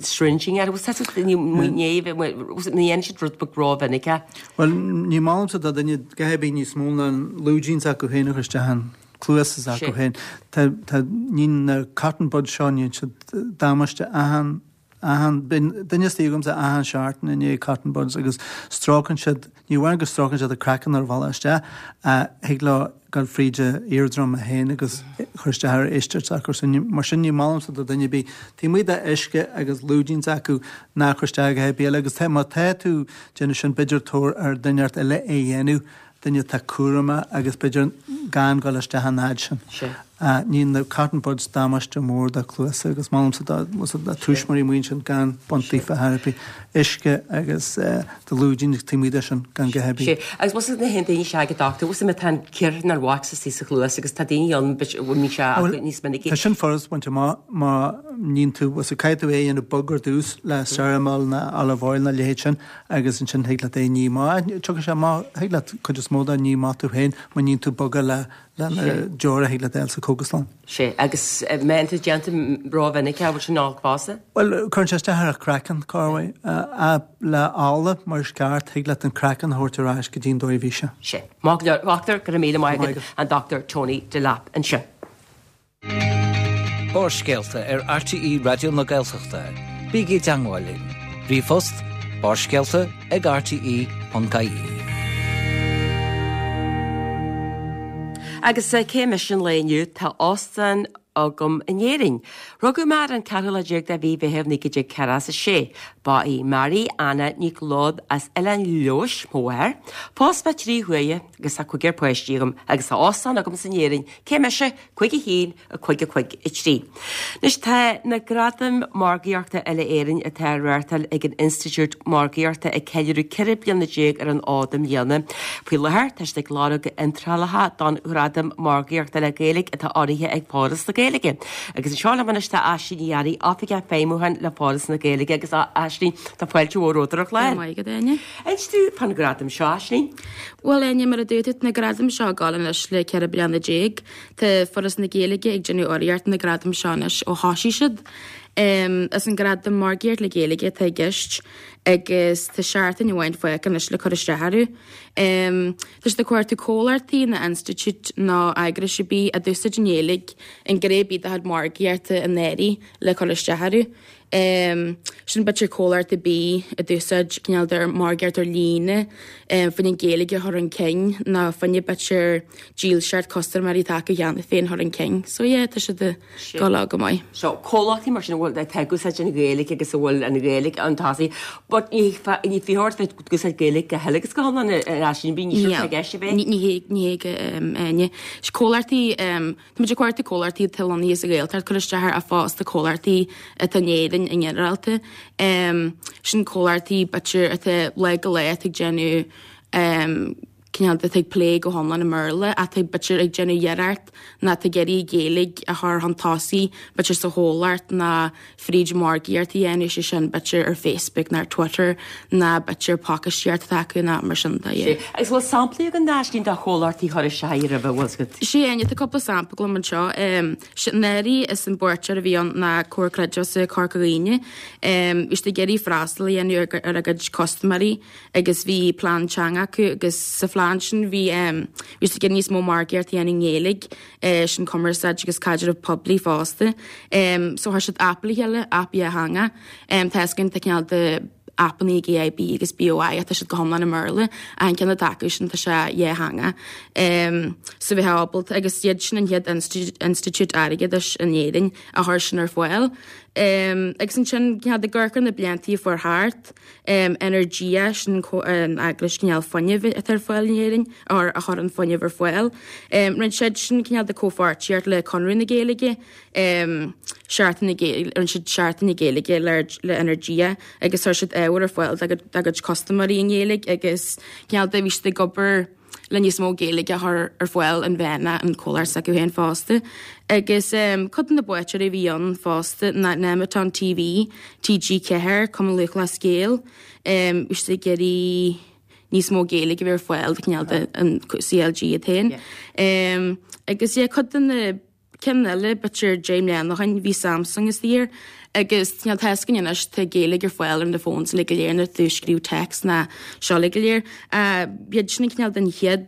syringing or was it ní dhéanann siad rud beag rómhinic é? Bhuel, ní molaimse do dhuine a dhath ar bith níos mó ná an lúidín s'acu féin a chur isteach an cluas s'acu féin. Tá, tá, ní na cotton buds seo, níonn siad damáiste achan, achan, bíonn duine istigh agamsa achan seachtain i ndiaidh cotton buds agus stróiceann siad, ní amháin go stróiceann siad an craiceann ar a bhealach isteach, ach thig leo dul fríd a eardrum féin agus cur isteach ar éisteacht s'acu. So ní, mar sin ní molaimse do dhuine ar bith, taobh amuigh de uisce agus lúidín s'acu ná cur isteach a dhath ar bith eile agus tá, má tá tú déanamh sin b'fhéidir tabhair ar dhuine inteacht eile é dhéanamh. duine atá cúramach agus b'fhéidir gan dul isteach an fhad sin. Níonn na cotton buds damáiste mór do chluasa agus molaimse do tuismitheoirí amuigh ansin gan baint daofa ar chor ar bith. Uisce agus do lúidín taobh amuigh de sin gan a dhath ar bith. Agus bhfuil fhios ag na haon daoine seo ag an dochtúir, bhfuil fhios agat má tá an cíor nó wax istigh sa chluas agus tá daoine ann bhfuil mbíonn sé acu níos minicí. Tá sin furast baint amach má níonn tú, bhfuil fhios agat caithfidh tú é a dhéanamh bog ar dtús le Cerumol nó olive oil nó a leithéid sin. Agus ansin thig leat é a ní amach. Tiocfaidh sé amach, thig leat cuid is mó de a ní amach tú féin má níonn tú bog é le le na deora a thig leat a fháil sa chógaslann. Sea, agus má bhíonn tú déanta rómhinic, an bhfuil sin olc fosta? Bhuel, cuireann sé isteach ar an chraiceann, corruair. Le ola mar is ceart, thig leat an craiceann a thabhairt ar ais go dtí an dóigh a bhí sé. Sea. Maith go leor, a dhochtúir, go raibh míle maith agat, an Dochtúir Tony Delap ansin. Barrscéalta ar RTÉ Raidió na Gaeltachta. Bígí i dteangmháil linn. Ríomhphost, barrscéalta ag rte ponc ie. Agus cé mise an lae inniu, tá óstán agam in Éirinn. Rugadh mé ar an ceathrú lá déag de mhí Mheithimh naoi déag ceathracha a sé. Ba í Mary Anna Nic Leod as Oileán Leodhais mo mháthair. Phós mé trí huaire agus tá cúigear páistí agam agus tá óstán agam in Éirinn. Cé mise? Cúig a haon, a cúig a cúig a trí. Anois tá na Gradaim Margaíochta Uile-Éireann atá á reáchtáil ag an Institiúid Margaíochta ag ceiliúradh ceithre bliana déag ar an fhód i mbliana. Faoi láthair tá siad ag lorg iontrálacha don Ghradam Margaíochta le Gaeilge atá urraithe ag Foras na Gaeilge. Agus anseo liom anois tá Aisling Ní Fhearraigh, Oifigeach Feidhmiúcháin le Foras na Gaeilge agus a Aisling, tá fáilte mhór romhat ar an chlár. Go raibh maith agat, Áine. Inis dúinn fán ghradam seo, Aisling. Bhuel, Áine, mar a dúirt tú, tá na gradaim seo ag gabháil anois le ceithre bliana déag. Tá Foras na Gaeilge ag déanamh urraíocht na gradaim seo anois ó thosaigh siad. Is an gradam Margaíocht le Gaeilge atá i gceist agus tá seachtain amháin fágtha anois le cur isteach orthu. Tá siad ag cuartú comhlachtaí nó institiúid nó eagrais ar bith a d'úsáid an Ghaeilge i ngné ar bith dá chuid margaíochta anuraidh le cur isteach orthu. Sin b'fhéidir comhlacht ar bith a d'úsáid cineál de margaíocht ar líne fá choinne an Ghaeilge a chur chun cinn nó fá choinne b'fhéidir dílseacht custaiméirí atá acu cheana féin a chur chun cinn. So yeah, tá siad ag gabháil leo go maith. So comhlachtaí mar sin a bhfuil atá ag úsáid an Ghaeilge agus a bhfuil an Ghaeilge chun tosaigh but ní ní fiú ort bheith ag úsáid Gaeilge go huile agus go hiomlán ar sin bí ní sin i gceist a bheith. Ní hé ní hé go Áine. Comhlachtaí Tá muid ag cuartú comhlachtaí atá lonnaithe sa Ghaeltacht cur isteach air ach fosta comhlachtaí atá in Éirinn i nginearálta. Sin comhlachtaí b'fhéidir atá lá go lá atá ag déanamh cineál atá ag plé go hiomlán i mBéarla atá b'fhéidir ag déanamh iarracht nó atá ag iarraidh Gaeilge a chur chun tosaigh b'fhéidir sa chomhlacht nó fríd margaíocht a dhéanamh, sé sin b'fhéidir ar Facebook nó ar Twitter nó b'fhéidir pacáistíocht atá acu nó mar sin de, yeah. Sea. Agus bhfuil samplaí againn Aisling de chomhlachtaí a chuir isteach roimhe, bhfuil fhios agat? Sea, Áine, tá cúpla sampla agam anseo. Sea, anuraidh is an buaiteoir a bhí ann ná Comhar Creidmheasa Corca Dhuibhne. Bhí siad ag iarraidh freastal a dhéanamh ar a gcuid custaiméirí agus bhí plean teanga acu agus sa phlean sin bhí bhí siad ag iarraidh níos mó margaíocht a dhéanamh i nGaeilge. sin cumarsáid agus caidreamh poiblí fosta. So chuir siad aip le chéile, aip dhátheangach. Tá fhios againn tá cineál de aipeanna ag AIB agus BOI ach tá siad go hiomlán i mBéarla. Ach an ceann atá acu sin tá sé dhátheangach. So bheith ábalta agus iad sin an chéad institiúid airgeadais in Éirinn a chuir sin ar fáil. Agus ansin cineál de ag amharc ar na bliantaí a fuair thart, Energia, sin an eaglais cineál fuinnimh atá ar fáil in Éirinn, or a chuireann fuinneamh ar fáil. Rinne siad sin cineál de comhpháirtíocht le Conradh na Gaeilge, Seachtain na Gaeilge, rinne siad Seachtain na Gaeilge le le Energia agus chuir siad ábhar ar fáil dá gcuid custaiméirí i nGaeilge agus cineál de bhí siad ag obair le níos mó Gaeilge a chur ar fáil inmheánach an comhlacht s'acu féin fosta. Agus cuid de na buaiteoirí a bhí ann fosta ná Nemeton TV, TG Ceathair, Cumann Lúthchleas Gael, bhí siad ag iarraidh níos mó Gaeilge a bheith ar fáil do cineál de an CLG iad féin. Agus yeah, cuid de na Ceann eile, b'fhéidir deich mbliana ó shin, bhí Samsung istigh air agus níl tá a fhios againn anois, tá Gaeilge ar fáil ar na phones uilig go léir nuair tú ag scríobh text ná seo uilig go léir. B'iad sin an cineál den chéad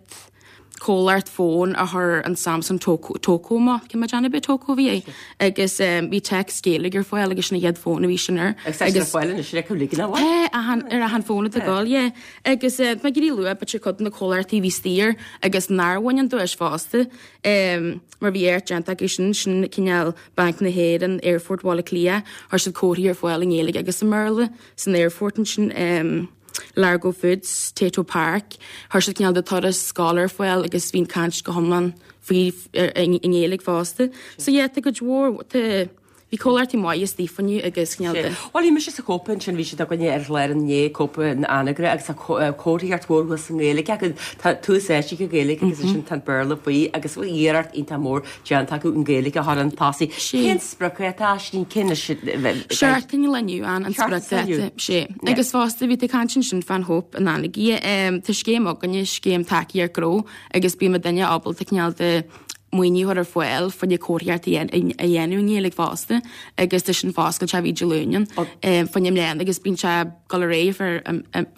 comhlacht fón a chuir an Samsung Tocco amach, cé mhéad déanamh b'é Tocco a bhí é, agus bhí text Gaeilge ar fáil agus sin an chéad fón a bhí sin air. Agus tá sin ar fáil anois ar achan ligean amháin? Tá, achan, ar achan fón atá ag dul, yeah. Agus tá mé ag iarraidh lua, b'fhéidir cuid de na comhlachtaí a bhí istigh air agus nár bhain an duais fosta. Mar bhí éacht déanta acu sin, sin cineál Banc na hÉireann, Aerfort Bhaile Átha Cliath, chuir siad comharthaí ar fáil i nGaeilge agus i mBéarla san aerfort ansin, Largo Foods, Tayto Park, chuir siad cineál de turas scoile ar fáil agus bhí an caint go hiomlán faoi i nGaeilge fosta. So yeah, tá cuid mhór, tá. Bhí comhlachtaí maithe istigh fá choinne agus cineál de. Bhuel, bhí mise sa chópa ansin, bhí siad againne ar chlár inné, cópa an Anagaire, agus tá comharthaíocht mhór thuas i nGaeilge acu, tá tús áite ag an Ghaeilge agus ansin tá an Béarla faoi agus bhfuil iarracht iontach mór déanta acu an Ghaeilge a chur chun tosaigh. Cén spriocdháta, Aisling, cén Seachtain ó inniu an spriocdháta, sé. Agus fosta bhí tú ag caint ansin fán Chóip in Anagaire, tá scéim againne, scéim tacaíocht gnó agus bíonn duine ábalta cineál de maoiniú a chur ar fáil fá choinne comharthaíocht a dhéanamh i nGaeilge fosta agus tá sin foscailte bhí Dé Luain fá choinne i mbliana agus bíonn sé ag dul ar aghaidh fá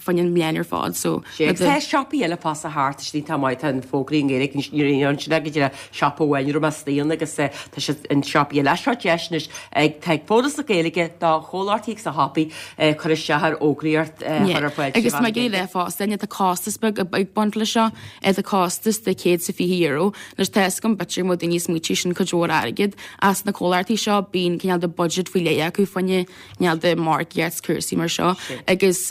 choinne an bhliain ar fad so Sé tá siopaí eile fosta thart istigh tá maith tá an fógraí i nGaeilge ansin go dtí siopa amháin a raibh mé istigh ann agus tá siad in siopaí eile. Seo deis anois ag tá ag Foras na Gaeilge do chomhlachtaí agus do shiopaí cur isteach ar fhógraíocht a chur ar fáil Agus má ghéilleadh fosta tá costas beag ag baint leis seo tá costas de céad is a fiche euro Anois tá fhios agam b'fhéidir go mbeadh daoine ag smaoitiú sin cuid mhór airgid ach sna comhlachtaí seo bíonn cineál de budget faoi leith acu fá choinne cineál de margaíocht 's cúrsaí mar seo agus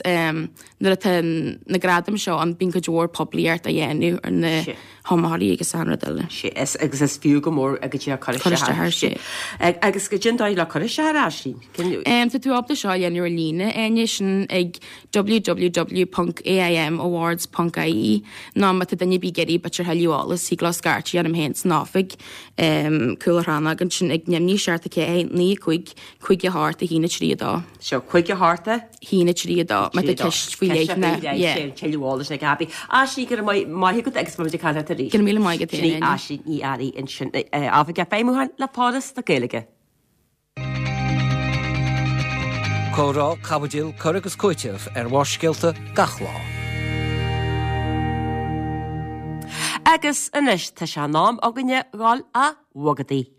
nuair atá na gradaim seo ann bíonn cuid mhór poiblíocht á dhéanamh ar na hiomaitheoirí agus achan rud eile. Sé is agus is fiú go mór go dtí cur isteach air. Sé. Agus goidé an dóigh le cur isteach air Aisling? Tá tú ábalta seo a dhéanamh ar líne Áine, sin ag www ponc aim awards ponc ie nó má tá duine ar bith ag iarraidh b'fhéidir thuilleadh eolais thig leo scairteadh orm féin san oifig cúl an chrannóg ansin ag neamhní seacht a ceathair naoi a cúig cúig a hocht a haon a trí a dó. Seo cúig a hocht a. haon a trí a dó má tá ceist faoi leith ná yeah. Tuilleadh eolais ag Abby. Aisling go raibh maith agat agus beimid ag caint leat arís. Go raibh míle maith agat Sin í Aisling Ní Fhearraigh ansin Oifigeach Feidhmiúcháin le Foras na Gaeilge. Comhrá, caibidil, cur agus cúiteamh ar Bharrscéalta gach lá. Agus anois tá sé in am againne dhul a bhogadaí.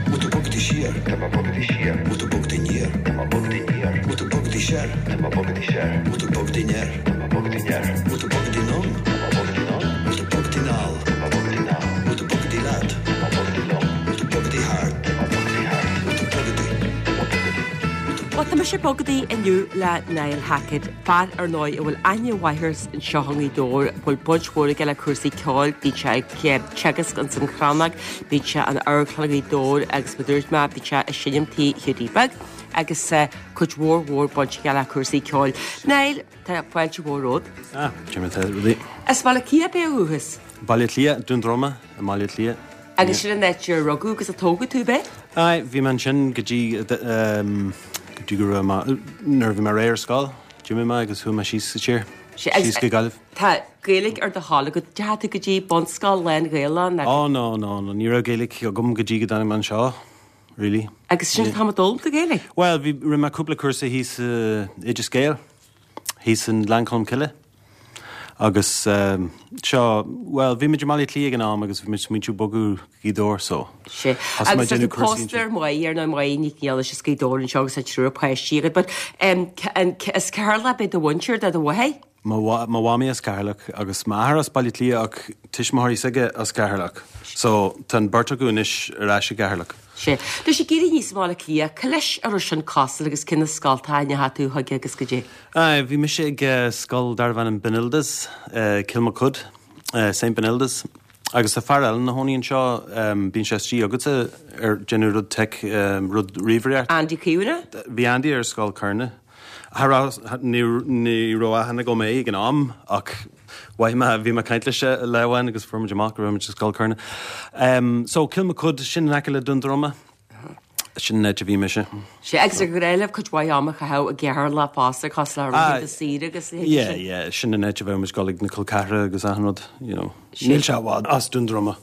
Bhfuil tú bogadaí siar? Tá mé bogadaí siar. Bhfuil tú bogadaí aniar? Tá mé bogadaí aniar. Bhfuil tú bogadaí soir? Tá mé bogadaí soir. Bhfuil tú bogadaí anoir? Tá mé bogadaí anoir. Bhfuil tú bogadaí anonn? Tá mé bogadaí anonn. Bhfuil tú bogadaí anall? Tá mé bogadaí anall. Bhfuil tú bogadaí leat? Tá mé bogadaí liom. Bhfuil tú bogadaí thart? Tá mé bogadaí thart. Bhfuil tú bogadaí? Tá mé bogadaí. Bhfuil tú Bhuel, tá mise bogadaí inniu le Niall Hackett, fear ar ndóigh a bhfuil aithne mhaith air anseo i nGaoth Dobhair, a bhfuil baint mhór aige le cúrsaí ceoil, bíonn sé ag teagasc ins an Chrannóg, bíonn sé in Amharclann Ghaoth Dobhair agus mar a dúirt mé, bíonn sé ag seinm Tigh Hiúdaí Beag agus cuid mhór mhór baint aige le cúrsaí ceoil. Niall, tá fáilte mhór romhat. Ah, cé mar atá rudaí? As Baile Átha Cliath ab é ó dhúchas? Baile Átha Cliath, Dún Droma i mBaile Átha Cliath. Agus sin an áit ar rugadh agus a tógadh tú, ab é? Aye, bhí mé ansin go dtí, go dtí go raibh mé, nuair a bhí mé réidh ar scoil, d'imigh mé agus chuaigh mé síos sa tír, síos go Gaillimh. Tá Gaeilge ar do thoil agat, deachaigh tú go dtí bunscoil lán-Ghaelach nó? Oh no, no, no, ní raibh Gaeilge agam go dtí go dtáinig mé anseo, really. Agus sin an t-am a d'fhoghlaim tú Gaeilge? Bhuel, bhí, rinne mé cúpla cúrsa thíos i Oideas Gael, thíos i nGleann Cholm Cille. Agus seo, bhuel, bhí muid i mBaile Átha Cliath ag an am agus bhí muid ag smaointiú bogadh go Gaoth Dobhair so Sé. thosaigh mé Agus ag tá déanamh tú cúrsaí pósta ar Mháire, ar ndóigh Máire Nic Niallais as Gaoth Dobhair anseo agus tá triúr páistí agat but em, an, is Ceatharlach ab é do mhuintir, do do mháthair? Mo mhamaí as Ceatharlach agus m'athair as Baile Átha Cliath ach tuismitheoirí s'aige as Ceatharlach. So tá an beirt acu anois ar ais i gCeatharlach. Sea. Tá sé ag éirí níos mó le Cliath. Cá leis a raibh sin cosúil agus cé na scoltacha a ndeachaigh tú chuige agus goidé? Aye, bhí mise ag scoil darbh ainm Benildus, Kilmacud, Saint Benildus. Agus tá fear eile ina chónaí anseo, bíonn sé istigh agatsa ar déanamh rud tech, rud ríomhaireacht. Andy Keown? Bhí Andy ar scoil Carna. Cha raibh, ní, ní raibh aithne agam é ag an am ach mhaith mé, bhí mé ag caint leis lá amháin agus fuair muid amach go raibh muid sa scoil Carna. Um, so Kilmacud, sin in aice le Dún Droma. Sin an áit a bhí mise. Sea, agus ar gnách libh cuid mhaith ama a chaitheamh i gCeatharlach fosta, cosúil le laethanta saoire agus a leithéidí Yeah, sin. yeah, sin an áit a bheadh muid ag dul ag na col ceathracha agus achan rud, you know. Níl sé i bhfad as Dún Droma.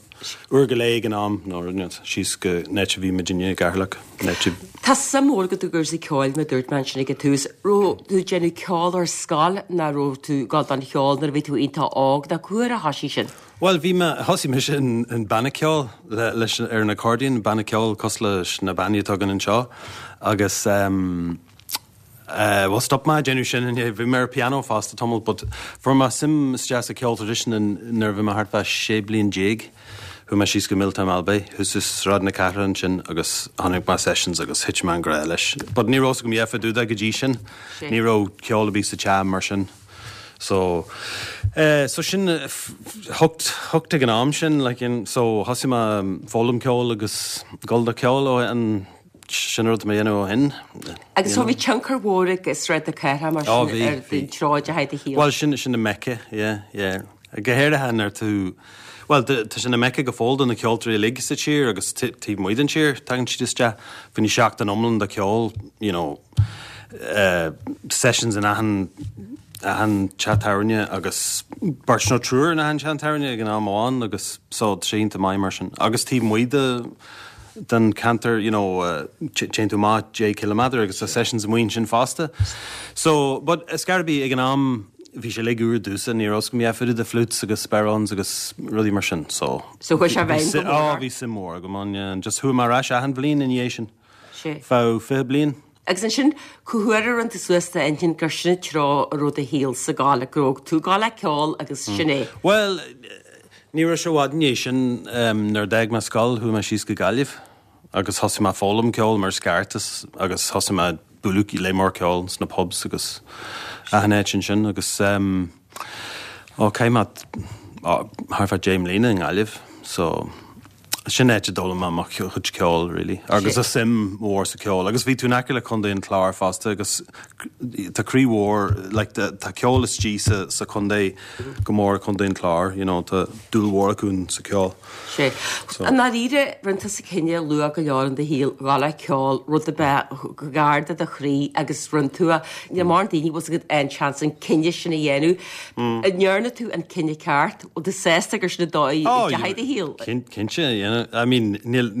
Uair go leith ag an am, nó rud inteacht, síos go an áit a bhí muidinne i gCeatharlach, an áit a. Tá suim mhór agat i gcúrsaí ceoil, mar a dúirt mé ansin ag an tús. Raibh tú ag déanamh ceoil ar scoil nó raibh tú ag gabháil don cheol nuair a bhí tú iontach óg nó cá huair a thosaigh sin? Bhuel, bhí mé, thosaigh mise in, in banna ceoil le, leis, ar an accordion, banna ceoil cosúil leis na bannaí atá againn anseo agus ehm, eh, bhuel stop mé ag déanamh sin inné, bhí mé ar piano fosta tamall but fuair mé suim isteach sa cheol traidisiúnta nuair a bhí mé thart fá sé bliain déag. Chuaigh mé síos go Milltown Malbay, thuas i Sráid na Cathrach ansin agus chonaic mé sessions agus thit mé i ngrá leis. But ní raibh 's agam a dhath fá dtaobh de go dtí sin. Ní raibh ceol ar bith sa teach mar sin. So, eh, so sin hooked, hooked ag an am sin, like in, so thosaigh mé foghlaim ceoil agus gabháil do cheol ó an sin rud mé dhéanamh ó shin. Agus so bhí tionchar mhór ag Sráid na Cathrach mar Ó, sin bhí, ar bhí. an treo a deachaigh do shaol. Bhuel, sin sin an Mecca, yeah, yeah. Go háirithe nuair tú, bhuel, tá sé ina Mecca go fóill do na ceoltóirí uilig sa tír agus taobh amuigh den tír, tagann siad isteach, fá choinne seachtain iomlán de cheol, you know, uh, sessions in achan achan teach tábhairne agus beirt nó triúr in achan teach tábhairne ag an am amháin agus so tá sé iontach maith mar sin. Agus taobh amuigh de den ceantar, you know, uh, téann tú amach deich ciliméadar agus tá sessions amuigh ansin fosta. So, but is scairbí ag an am bhí sé uilig úr domhsa, ní raibh 's agam a dhath fá dtaobh de flutes agus bodhráns agus rudaí mar sin, so. So chuaigh sé i bhfeidhm go mór Ó, ort. bhí suim mhór agam ann, yeah, and just chuaigh mé ar ais achan bhliain ina dhiaidh sin. Sé. Feadh fiche bliain. Agus ansin, cá huair a rinne tú suas d'intinn gur sin an treo a raibh do shaol ag gabháil, go raibh tú ag gabháil le ceol agus sin é? Bhuel, ní raibh sé i bhfad ina dhiaidh sin, nuair a d'fhág mé scoil, chuaigh mé síos go Gaillimh agus thosaigh mé ag foghlaim ceoil mar is ceart agus thosaigh mé ag bualadh le mór ceoil sna pubs agus achan áit ansin agus um, ó chaith mé thart fá deich mbliana i nGaillimh so sin áit a d'fhoghlaim mé mo chuid ceoil really agus a suim mhór sa ceol agus bhí tú in aice le Contae an Chláir fosta agus tá croí mhór like tá ceol istigh sa sa chontae go mór Contae an Chláir you know tá dúil mhór acu sa ceol. Sé. I ndáiríre rinne tusa cinneadh luath go leor in do shaol gabháil le ceol rud a bheith gar do do chroí agus rinne tú é. Níl mórán daoine bhfuil acu an seans an cinneadh sin a dhéanamh. An ndearna tú an cinneadh ceart? Bhfuil tú sásta gur sin an dóigh a ndeachaigh do shaol? Cinnte, yeah. I mean níl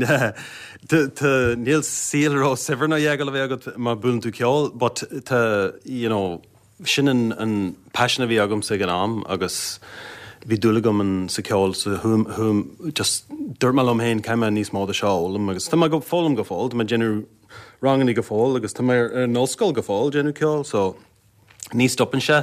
níl saol ró-shaibhir nó dheagal a bheith agat má buaileann tú ceol, but tá you know, sin an, an passion a bhí agamsa ag an am agus bhí dúil agam an sa ceol so hum, hum, just dúirt mé liom féin caithfidh mé níos mó de seo a fhoghlaim agus tá mé ag foghlaim go fóill, tá mé ag déanamh ranganna go fóill agus tá mé ar an ollscoil go fóill déanamh ceol, so ní stopann sé.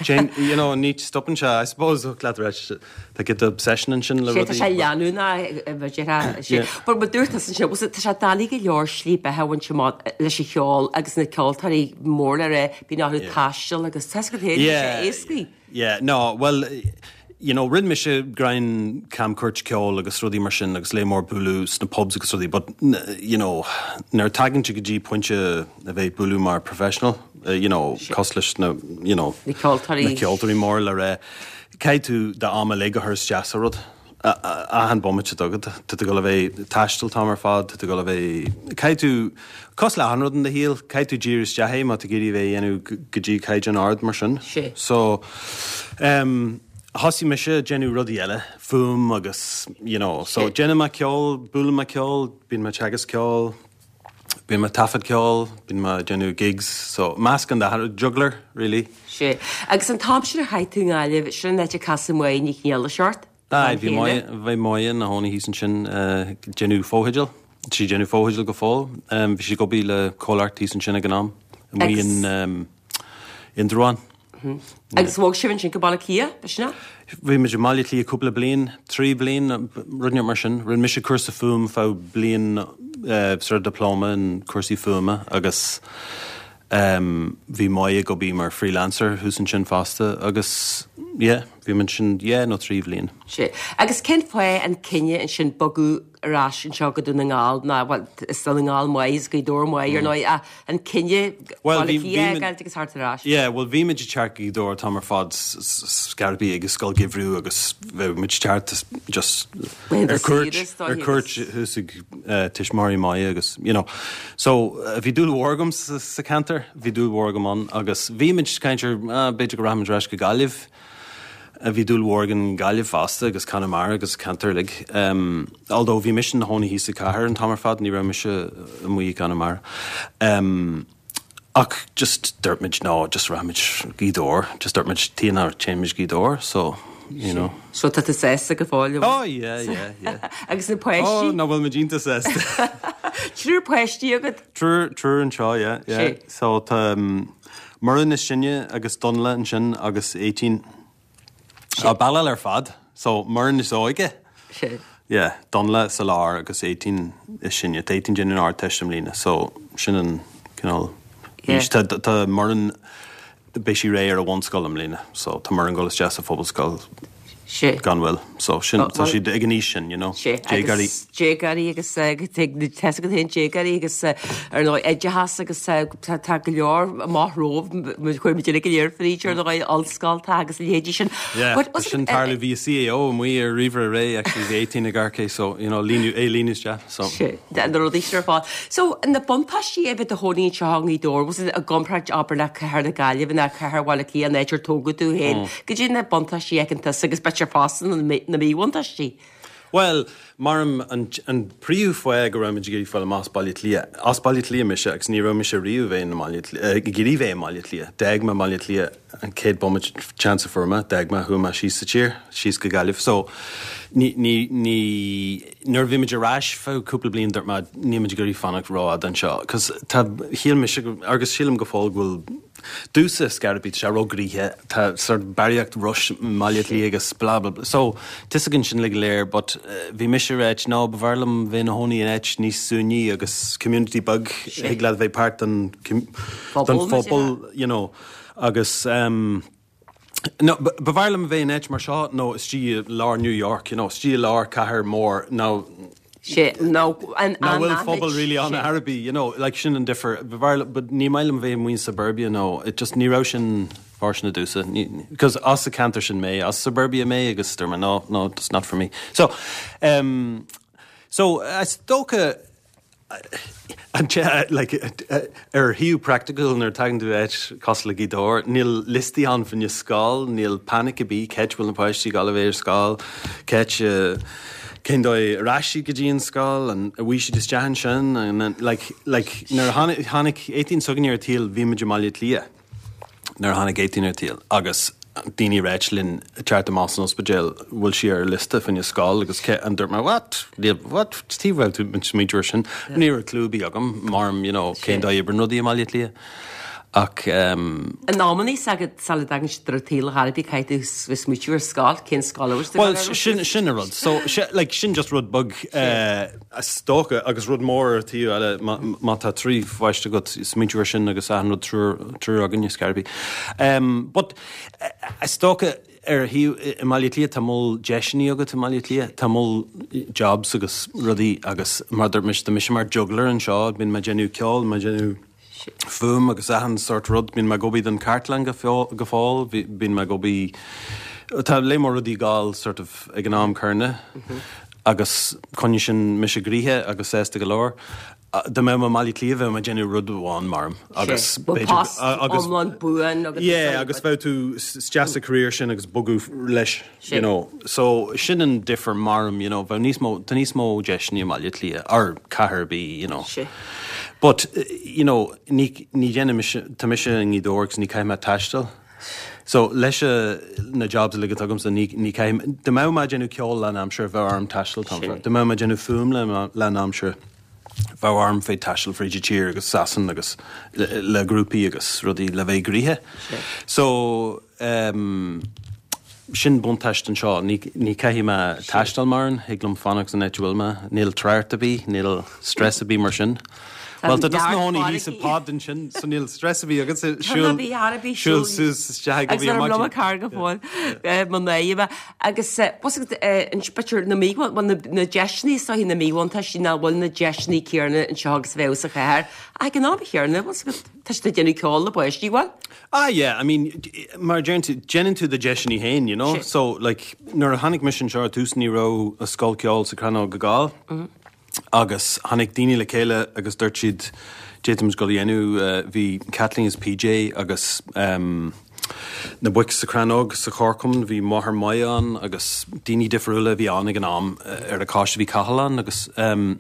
Jane, you know, ní stopann sé, I suppose leat reis tá get obsession ansin le Sé tá sé rudaí. leanúnach Yeah. But mar dúirt tusa sin tá sé doiligh go leor slí beatha a bhaint amach leis an cheol agus na ceoltóirí mór le rá bíonn orthu taisteal agus tá go héidir sé éascaí. Yeah, no, well, you know, rinne mise grein camchuairt ceoil agus rudaí mar sin agus le mór bualadh sna pubs agus rudaí, but you know, nuair tagann tú go dtí pointe a bheith bualadh mar professional, uh, you know, cosúil leis na, you know, Na ceoltóirí. na ceoltóirí mór le rá, caithfidh tú d'am uilig a chur isteach sa rud. Achan bomaite agat, tá tú ag gabháil a bheith ag taisteal t-am ar fad, tá tú ag gabháil a bheith caithfidh tú cosúil le achan rud in do shaol, caithfidh tú díriú isteach é má tá tú ag iarraidh bheith dhéanamh go dtí caighdeán ard mar sin. Sé. So um, thosaigh mise déanamh rudaí eile, fuaim agus, you know, so Sé. déanaim mé ceol, buailim mé ceol, bíonn mé teagasc ceol, bíonn mé taifead ceol, bíonn mé déanamh gigs, so meascán de juggler, really. Sé. Agus an t-am sin a chaith tú i nGaillimh, sin an áit a casadh Máire Ní Chionnfhaolaidh ort? Aye, bhí Máire bhí Máire ina cónaí thíos ansin uh, déanamh fotheidil, sí déanamh fotheidil go fóill, um, bhí sí ag obair le comhlacht thíos ansin ag an am, amuigh in um, Indreabhán. Agus bhog sibh ansin go Baile Átha Cliath, b'shin é? Bhí muid i mBaile Átha Cliath cúpla bliain, trí bliain, rud mar sin. Rinne mise cúrsa fuaim feadh bliain uh, sort of diploma in cúrsaí fuaime agus um, bhí Moya ag obair mar freelancer thuas ansin fosta agus yeah, bhí muid sin yeah, nó trí bhliain. Sé. Agus cén fáth an cinneadh ansin bogadh ar ais anseo go Dún na nGall ná well, is Dún na nGall maith is Gaoth Dobhair maith ar ndóigh a an cinneadh Well, Baile bhí- Átha Cliath bhí- a fhágáilt agus thart ar ais. Yeah, well bhí muid ag teacht go Gaoth Dobhair t-am ar fad scarbaí agus scoil geimhridh agus bheadh muid teacht just Well, ar cuairt saoire, ar cuairt thuas ag uh, tuismitheoirí Moya agus you know. So uh, bhí dúil mhór agam sa, sa ceantar, bhí dúil mhór agam ann agus bhí muid caint ar ah, b'fhéidir go rachaimid ar ais go Gaillimh. Uh, bhí dúil mhór agam Gaillimh fosta agus Conamara agus ceantar uilig. Um, although bhí mise i mo chónaí thíos sa chathair an t-am ar fad, ní raibh mise amuigh i Conamara. Um, ach just dúirt muid no, just rachaimid Gaoth Dobhair, just dúirt muid tí ná téimid Gaoth Dobhair, so you know. So tá tú sásta go fóill. Oh yeah, yeah, yeah. Agus na Oh, páistí ná bhfuil muid iontach sásta. Triúr páistí agat Triúr triúr anseo, yeah, yeah. Sé. So tá um, Muireann is sine agus Donla ansin agus eighteen. A ballal ar fad, so Muireann is óige. Sé. Yeah, Donla sa lár agus eighteen is sine, tá eighteen ag déanamh an Ardteist i mbliana, so sin an cineál Yeah. aois. Tá tá Muireann beidh sí réidh ar a bhunscoil i mbliana, so tá Muireann ag dul isteach sa phobalscoil Sé. gan mhoill. So sin Oh, tá well- siad ag an aois sin, you know. Sé Déagóirí. agus déagóirí agus tá go haon déagóirí agus eh, ar ndóigh oideachas agus eh, tá tá go leor amach romhaibh chuir muid go léir fríd ar ndóigh ollscoil agus leithéidí sin. Yeah, But was sin it- eh, tarlú bhí C A O amuigh ar ríomhaire aréir actually bhí eighteen ag amharc so you know líonadh é líonadh isteach so Sé, na rudaí sin ar fad. So na buntáistí a bheith i do chónaí anseo i nGaoth Dobhair, was it i gcomparáid abair le cathair na Gaillimhe ná cathair Bhaile Átha Cliath an áit ar tógadh tú féin. Goidé na buntáistí a fheiceann tusa agus b'fhéidir fosta na mí- na míbhuntáistí. Well, maram an, an príomhfháth go raibh muid ag iarraidh fáil amach as Baile Átha Cliath. As Baile Átha Cliath mise agus ní raibh mise riamh bheith i mBaile Átha Cliath- eh, ag iarraidh bheith i mBaile Átha Cliath. D'fhág mé Baile Átha Cliath an chéad bomaite chance a fuair mé, d'fhág mé chuaigh mé síos sa tír, síos go Gaillimh. So ní ní ní nuair a bhí muid ar ais feadh cúpla bliain dúirt mé níl muid ag iarraidh fanacht rófhada anseo, cos tá shíl mise go- agus sílim go fóill go bhfuil dúsa scarabí sé róghnoitheach tá sort barraíocht rush Baile Átha Cliath agus bla bla bla. So tuigeann sin le go léir, but uh, bhí mise ráit ná b'fhearr liom bheith i mo chónaí in áit níos suaimhní agus community beag ag le bheith páirt den den Phobal, phobal, you know, agus um, No, b'fhearr liom bheith in áit mar seo nó istigh i lár New York, you know, istigh i lár cathair mór nó Sé nó an ná bhfuil phobal really an Arabi, you know, like sin an difear, but ní maith liom bheith amuigh in suburbia nó it just ní raibh sin fóirsteanach domhsa, because as an ceantar sin mé, as suburbia mé agus dúirt mé no, no, it's not for me. So, um, so is dócha an te like ar thaobh practical nuair tagann tú áit cosúil le Gaoth Dobhair, níl liostaí ann fá choinne scoil, níl panic ar bith cén áit bhfuil na páistí ag gabháil a bheith ar scoil, cén uh, cén dóigh a rachaidh siad go dtí an scoil an bhfaighidh siad isteach ansin and then, like like nuair a tháinig tháinig eighteen s'againne ar an tsaol bhí muid i mBaile Átha Cliath nuair a tháinig eighteen ar an tsaol agus daoine ag ráit linn teacht amach san ospidéal bhfuil sí ar liosta fá choinne scoil agus ce an dúirt mé what Níl- what tí bhfuil tú smaoineamh sin ní raibh clue ar bith agam mar you know cén dóigh a oibríonn rudaí i mBaile Átha Cliath ach um, An amannaí agad sula dtagann siad ar an tsaol a Ghairbí caithfidh tú smaoitiú ar scoil, cén scoil a bhfuil Well, sin sin a rud. So se, like, sin just rud beag uh, is dócha agus rud mór ar taobh eile má má tá trí pháiste agat smaointiú ar sin agus achan rud triúr triúr againne scarbaí. Um, but uh, is dócha ar thaobh i Baile Átha Cliath tá moll deiseanna agat i Baile Átha Cliath, tá moll jobs agus rudaí agus mar dúirt mise tá mise mar juggler anseo, bíonn mé ag déanamh ceol, mé ag déanamh fuaim agus achan sort rud bíonn mé ag obair don chartlann go fóill go fóill bíonn mé ag obair Tá le mór rudaí gáil sort of ag an am céanna agus coinníonn sin mise gnoitheach agus sásta go leor. Dá mbeinn i mBaile Átha Cliath bheinn ag déanamh rud amháin maram agus B'fhéidir- post agus iomlán buan agus Yeah, agus bheadh tú isteach sa career sin agus bogadh leis, Sin. you know. So sin an difear maram, you know, bheadh níos mó tá níos mó deiseanna i mBaile Átha Cliath ar cathair ar bith, you know. Sin. But uh, you know, ní ní dhéanann mise tá mise i nGaoth Dobhair agus ní caithfidh mé taisteal. So leis uh, na jobs uilig atá agamsa ní ní caithfidh dá mbeinn ag déanamh ceol lán aimsir bheadh orm taisteal tá. Dá mbeinn ag déanamh fuaim le lán aimsir. Bheadh orm bheith taisteal fríd an tír agus Sasan agus le, le grúpaí agus rudaí le bheith gnoitheach. So um, sin buntáiste anseo ní ní caithfidh mé taisteal mórán thig liom fanacht san áit a bhfuil mé, níl trácht ar bith, níl stress ar bith mar sin. Well tá dus na hóí hí sa pod sin so níl stress ar bith agus siúl siúl suas isteach go Agus ar blom car go fóill mo néime agus b'fhéidir na mí na deiseanna so na míbhuntáistí nach bhfuil na deiseanna céanna anseo agus bheith sa chathair ag an am chéanna tá sé déanamh ceol le páistí bhfuil? Ah yeah, I mean mar déanann tú do deiseanna féin, you know? So like nuair a tháinig mise anseo tús ní raibh a scoil ceoil sa Chrannóg go gáil. Mm -hmm. Agus tháinig daoine le chéile agus dúirt siad d'fhéadfaimis go dhéanamh uh, bhí Kathleen is PJ agus um, na boic sa Chrannóg sa Chorcom bhí máthair maith an agus daoine difriúla bhí an ag an am ar a cáiste bhí Cathalan agus um,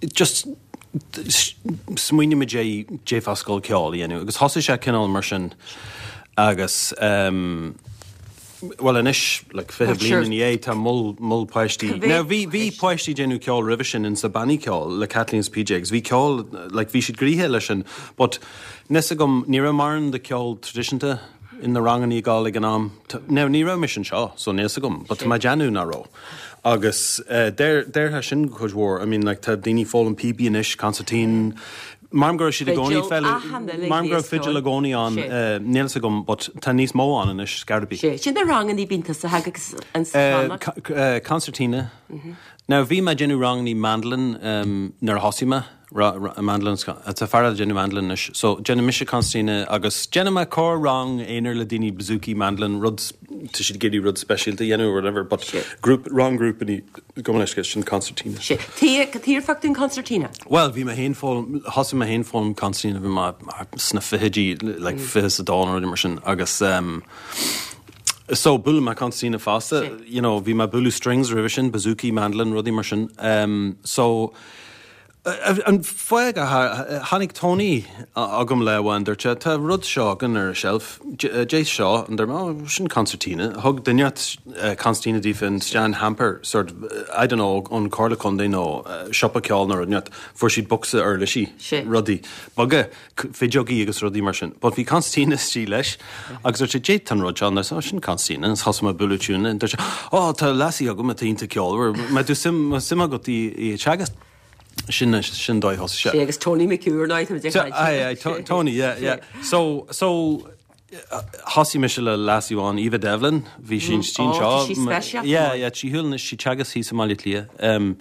just smaoinigh muid d'fhéadfá scoil ceoil a dhéanamh agus thosaigh sé cineál mar sin agus um, Well anois like fiche bliain ina dhiaidh tá moll moll páistí. Now bhí bhí páistí déanamh ceol roimhe sin in sa bannaí ceoil le Kathleen is PJ agus bhí ceol like bhí siad gnoitheach leis sin, but níos agam ní raibh mórán de ceol traidisiúnta in na ranganna gáil ag an am. Now ní raibh mise anseo so níos agam, but má déanú ná raibh. Agus uh, deirthe sin chuid mhór, I mean like tá daoine foghlaim píobaí anois consairtín, Mar go siad i gcónaí mar go fidil i gcónaí an níl agam, but tá níos mó an anois scarbí. Sin na ranganna bíonn sa agus an Concertina. Now bhí mé déanamh ranganna mandolin um, nuair a thosaigh mé mandolin tá fear déanamh mandolin anois. So déanamh mise concertina agus déanamh mé corr rang aonair le daoine bouzouki mandolin rud tá siad ag iarraidh rud speisialta dhéanamh or whatever, but group rang grúpa go leis sin concertina. Tír an concertina? Well, bhí mé féin foghlaim thosaigh mé féin foghlaim concertina bhí mé sna fichidí like fiche is a dó nó mar sin agus um, So buail mé concertina fosta, you know, bhí mé bualadh strings roimhe sin, bouzouki, mandolin, rudaí mar sin. Um, so an fáth tháinig Tony agam le bhain dúirt sé tá rud seo againn ar a shelf Dé seo an dar sin concertina thug duine concertina daofa in Stan hamper sort of, I don't know an Comhairle Contae nó siopa ceoil nó rud fuair siad bocsa uirlisí rudaí beaga fideogaí agus rudaí mar sin. But bhí concertina istigh leis agus dúirt sé Dé an rud seo sin concertina is thosaigh mé bualadh tiúna dúirt sé ó tá lassie agam atá iontach ceolmhar má tú suim suim agat í teagasc sin sin dóigh thosaigh sé. agus Tony McCure ná Aye, Tony, yeah, yeah. So so thosaigh mise le lassie amháin Eva Devlin, bhí sin stín seo. Yeah, yeah, sí thuúil sí teagasc thíos i mBaile Átha Cliath. Um,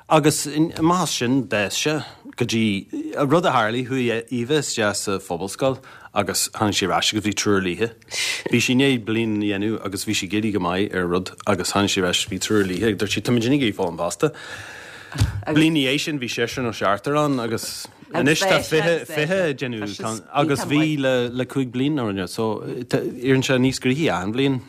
agus más sin deis se go dtí a rud a tharla chuaigh Eva isteach sa phobalscoil agus tháinig sí ar ais agus bhí triúr léithe. Bhí sí né bliain dhéanú agus bhí sí géirí go maith ar rud agus tháinig sí ar ais bhí triúr léithe, dúirt sí tá muid ag foghlaim fosta. Bliain é sin bhí sé nó seachtar ann agus anois tá fiche fiche déanamh agus bhí le le cúig bliain nó so éiríonn sé níos gnoithí an bhliain.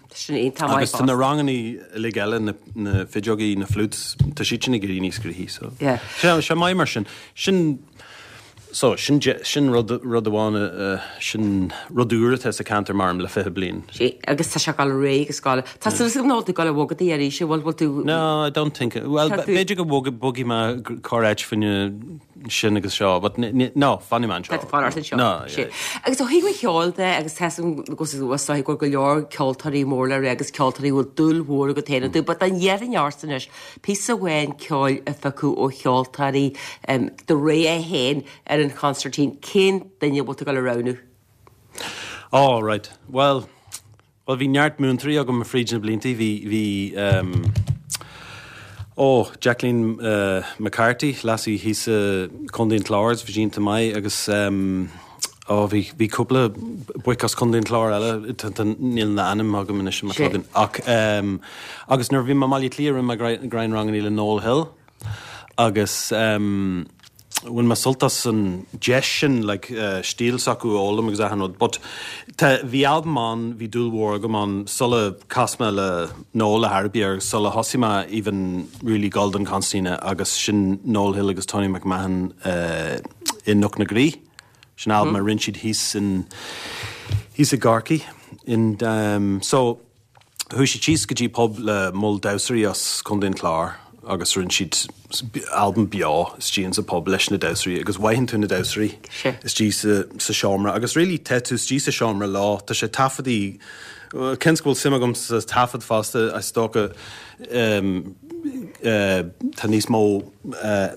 Agus tá na ranganna uilig eile na na fideogaí na flutes tá siad sin ag éirí níos gnoithí so. Sé sé maith mar sin sin so sin sin rud rud amháin sin rud úr atá sa ceantar maram le fiche bliain. Sí agus tá sé gal ré agus gal Tá su ná tú gal bhogadaí ar sé bhfuil bhfuil tú No, I don't think well b'fhéidir go bhog bogfaidh mé corr-áit faoine sin agus seo, but no, fanfaidh mé anseo. Tá fan seo. No, yeah. Agus ó thaobh cheoil de agus tá go go go leor ceoltóirí mór le agus ceoltóirí bhfuil dúil mhór agat féin tú, but an dhéan anois píosa amháin ceoil a phiocadh ó cheoltóirí do rogha féin ar an concertín cén duine bhfuil tú ag dul a roghnú. Oh right. Well, well bhí neart múinteoirí agam fríd na blianta bhí bhí um, Oh, Jacqueline uh, McCarthy, lassie thíos uh, Contae an Chláir, bhí sí iontach maith agus um, oh, bhí bhí cúpla boic as Contae an Chláir eile níl na ainm agam anois mar tugann ach um, agus nuair bhí mé i mBaile Átha Cliath rinne mé greannranganna le Noel Hill agus um, bhain mé sult as an deis sin like, uh, stíl s'acu a fhoghlaim agus achan rud, but bhí albam ann bhí dúil mhór agam ann sula chas mé le Noel le Harby agus sula thosaigh mé even really Golden Concertina agus sin Noel Hill agus Tony McMahon uh, i Cnoc na Graí. Sin albam mm. a rinne siad thíos in thíos i gCorcaigh. In, um, so chuaigh siad síos go dtí pub le moll damhsóirí as Contae an Chláir agus rinne siad albam beo istigh in sa pub leis na damhsóirí agus mothaíonn tú na damhsóirí istigh sa, sa seomra agus really tá tú istigh sa seomra leo tá sé taifeadtaí cén go bhfuil suim agam sa taifead fosta is dócha um, uh, tá níos mó uh,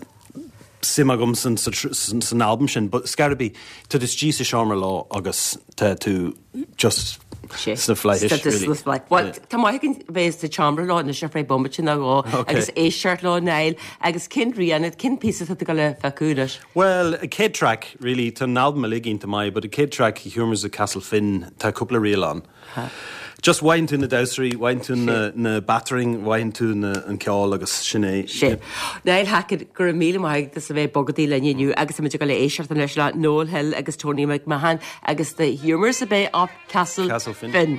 suim agam san, san, san albam sin, but scarabi tá tú istigh sa seomra leo agus tá tú just sna flaithis really. Well, tá maith againn bheith sa tseomra leo anois ar feadh bomaite nó dhó agus éisteacht leo Niall agus cén rian cén píosa atá tú ag gabháil a phiocadh anois. Well, a chéad track really tá an albam uilig iontach maith, but a chéad track Humours of Castle Finn tá cúpla ríl ann. Just mothaíonn tú na damhsóirí, mothaíonn tú na, na battering, mothaíonn tú na, an ceol agus sin é. Sé. Niall Hackett go raibh míle maith agat as a bheith bogadaí linn inniu agus muid ag gabháil a éisteacht anois le Noel Hill agus Tony McMahon agus the Humours a bheith of Castle, Castle Finn. Finn.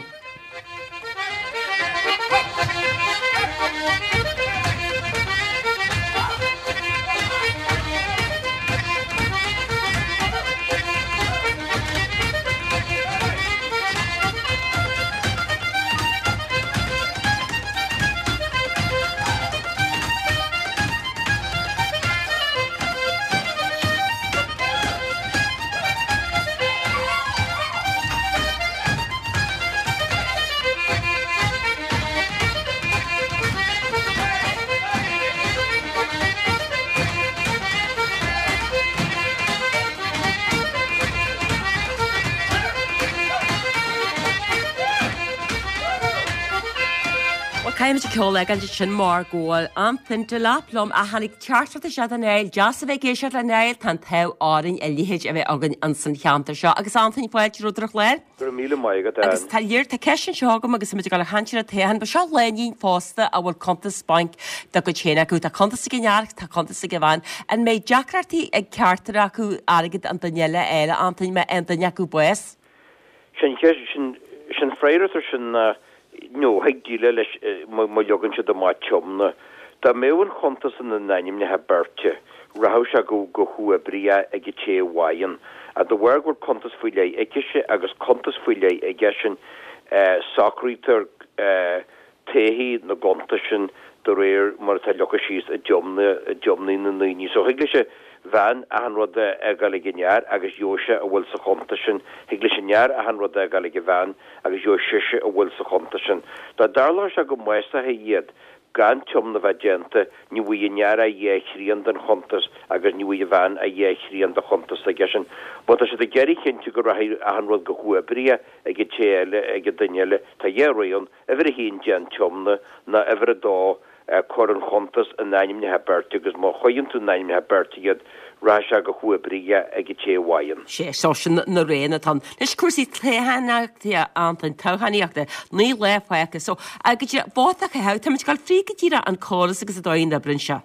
Caithfimid ceol a fhágáil sin mar go bhfuil Antain Delap liom a tháinig teachtaireacht isteach a Niall, deas a bheith ag éisteacht le Niall tá an t-ádh orainn a leithéid a bheith againn ins an cheantar seo. Agus Antain fáilte romhat ar an chlár. Go raibh míle maith agat Agus tá léir tá ceist anseo agam agus muid ag gabháil a chaint ar an toghchán, ba seo lánúin phósta a bhfuil cuntas bainc dá gcuid féin acu. Tá cuntas ag an fhear, tá cuntas ag an bhean. An mbeidh deacrachtaí ag ceachtar acu airgead an duine eile eile Antain má fhaigheann duine acu bás? Sin sin sin freagairt sin uh, nó thig déileáil leis má leagann siad amach tiomna. Dá mbeadh an chuntas ina n-ainmneacha beirte, rachadh sé go go huathoibríoch ag an té a bhfaigheann. A de bharr go bhfuil cuntas faoi leith aici agus cuntas faoi leith aige sin socraítear taithí na gcuntas sin de réir mar atá leagtha síos i dtiomna i dtiomnaí na ndaoine. So thig leis an bhean achan rud a fhágáil ag an fhear agus gheobhaidh sé a bhfuil sa chuntas sin. Thig leis an fhear achan rud a fhágáil ag an bhean agus gheobhaidh sise a bhfuil sa chuntas sin. Dá dtarlódh sé go mbásófaí iad gan tiomna bheith déanta, ní bhfaighidh an fear ach dhá thrian den chuntas agus ní bhfaighidh an bhean ach dhá thrian de chuntas aige sin. Má tá siad ag iarraidh cinntiú go rachaidh achan rud go huathoibríoch ag an té eile, ag an duine eile, tá dhá rogha ann, uimhir a haon déan tiomna nó uimhir a dó cuir an chuntas in ainmneacha beirte agus má chuireann tú in ainmneacha beirte iad, rachaidh sé go huathoibríoch ag an té a bhfaigheann. Sé, so sin na roghanna atá ann. Anois cúrsaí toghchánaíochta, Antain, toghchánaíochta, naoi lá fágtha. So, go dtí vóta a chaitheamh, táimid ag dul fríd go díreach an córas agus an dóigh a n-oibríonn sé.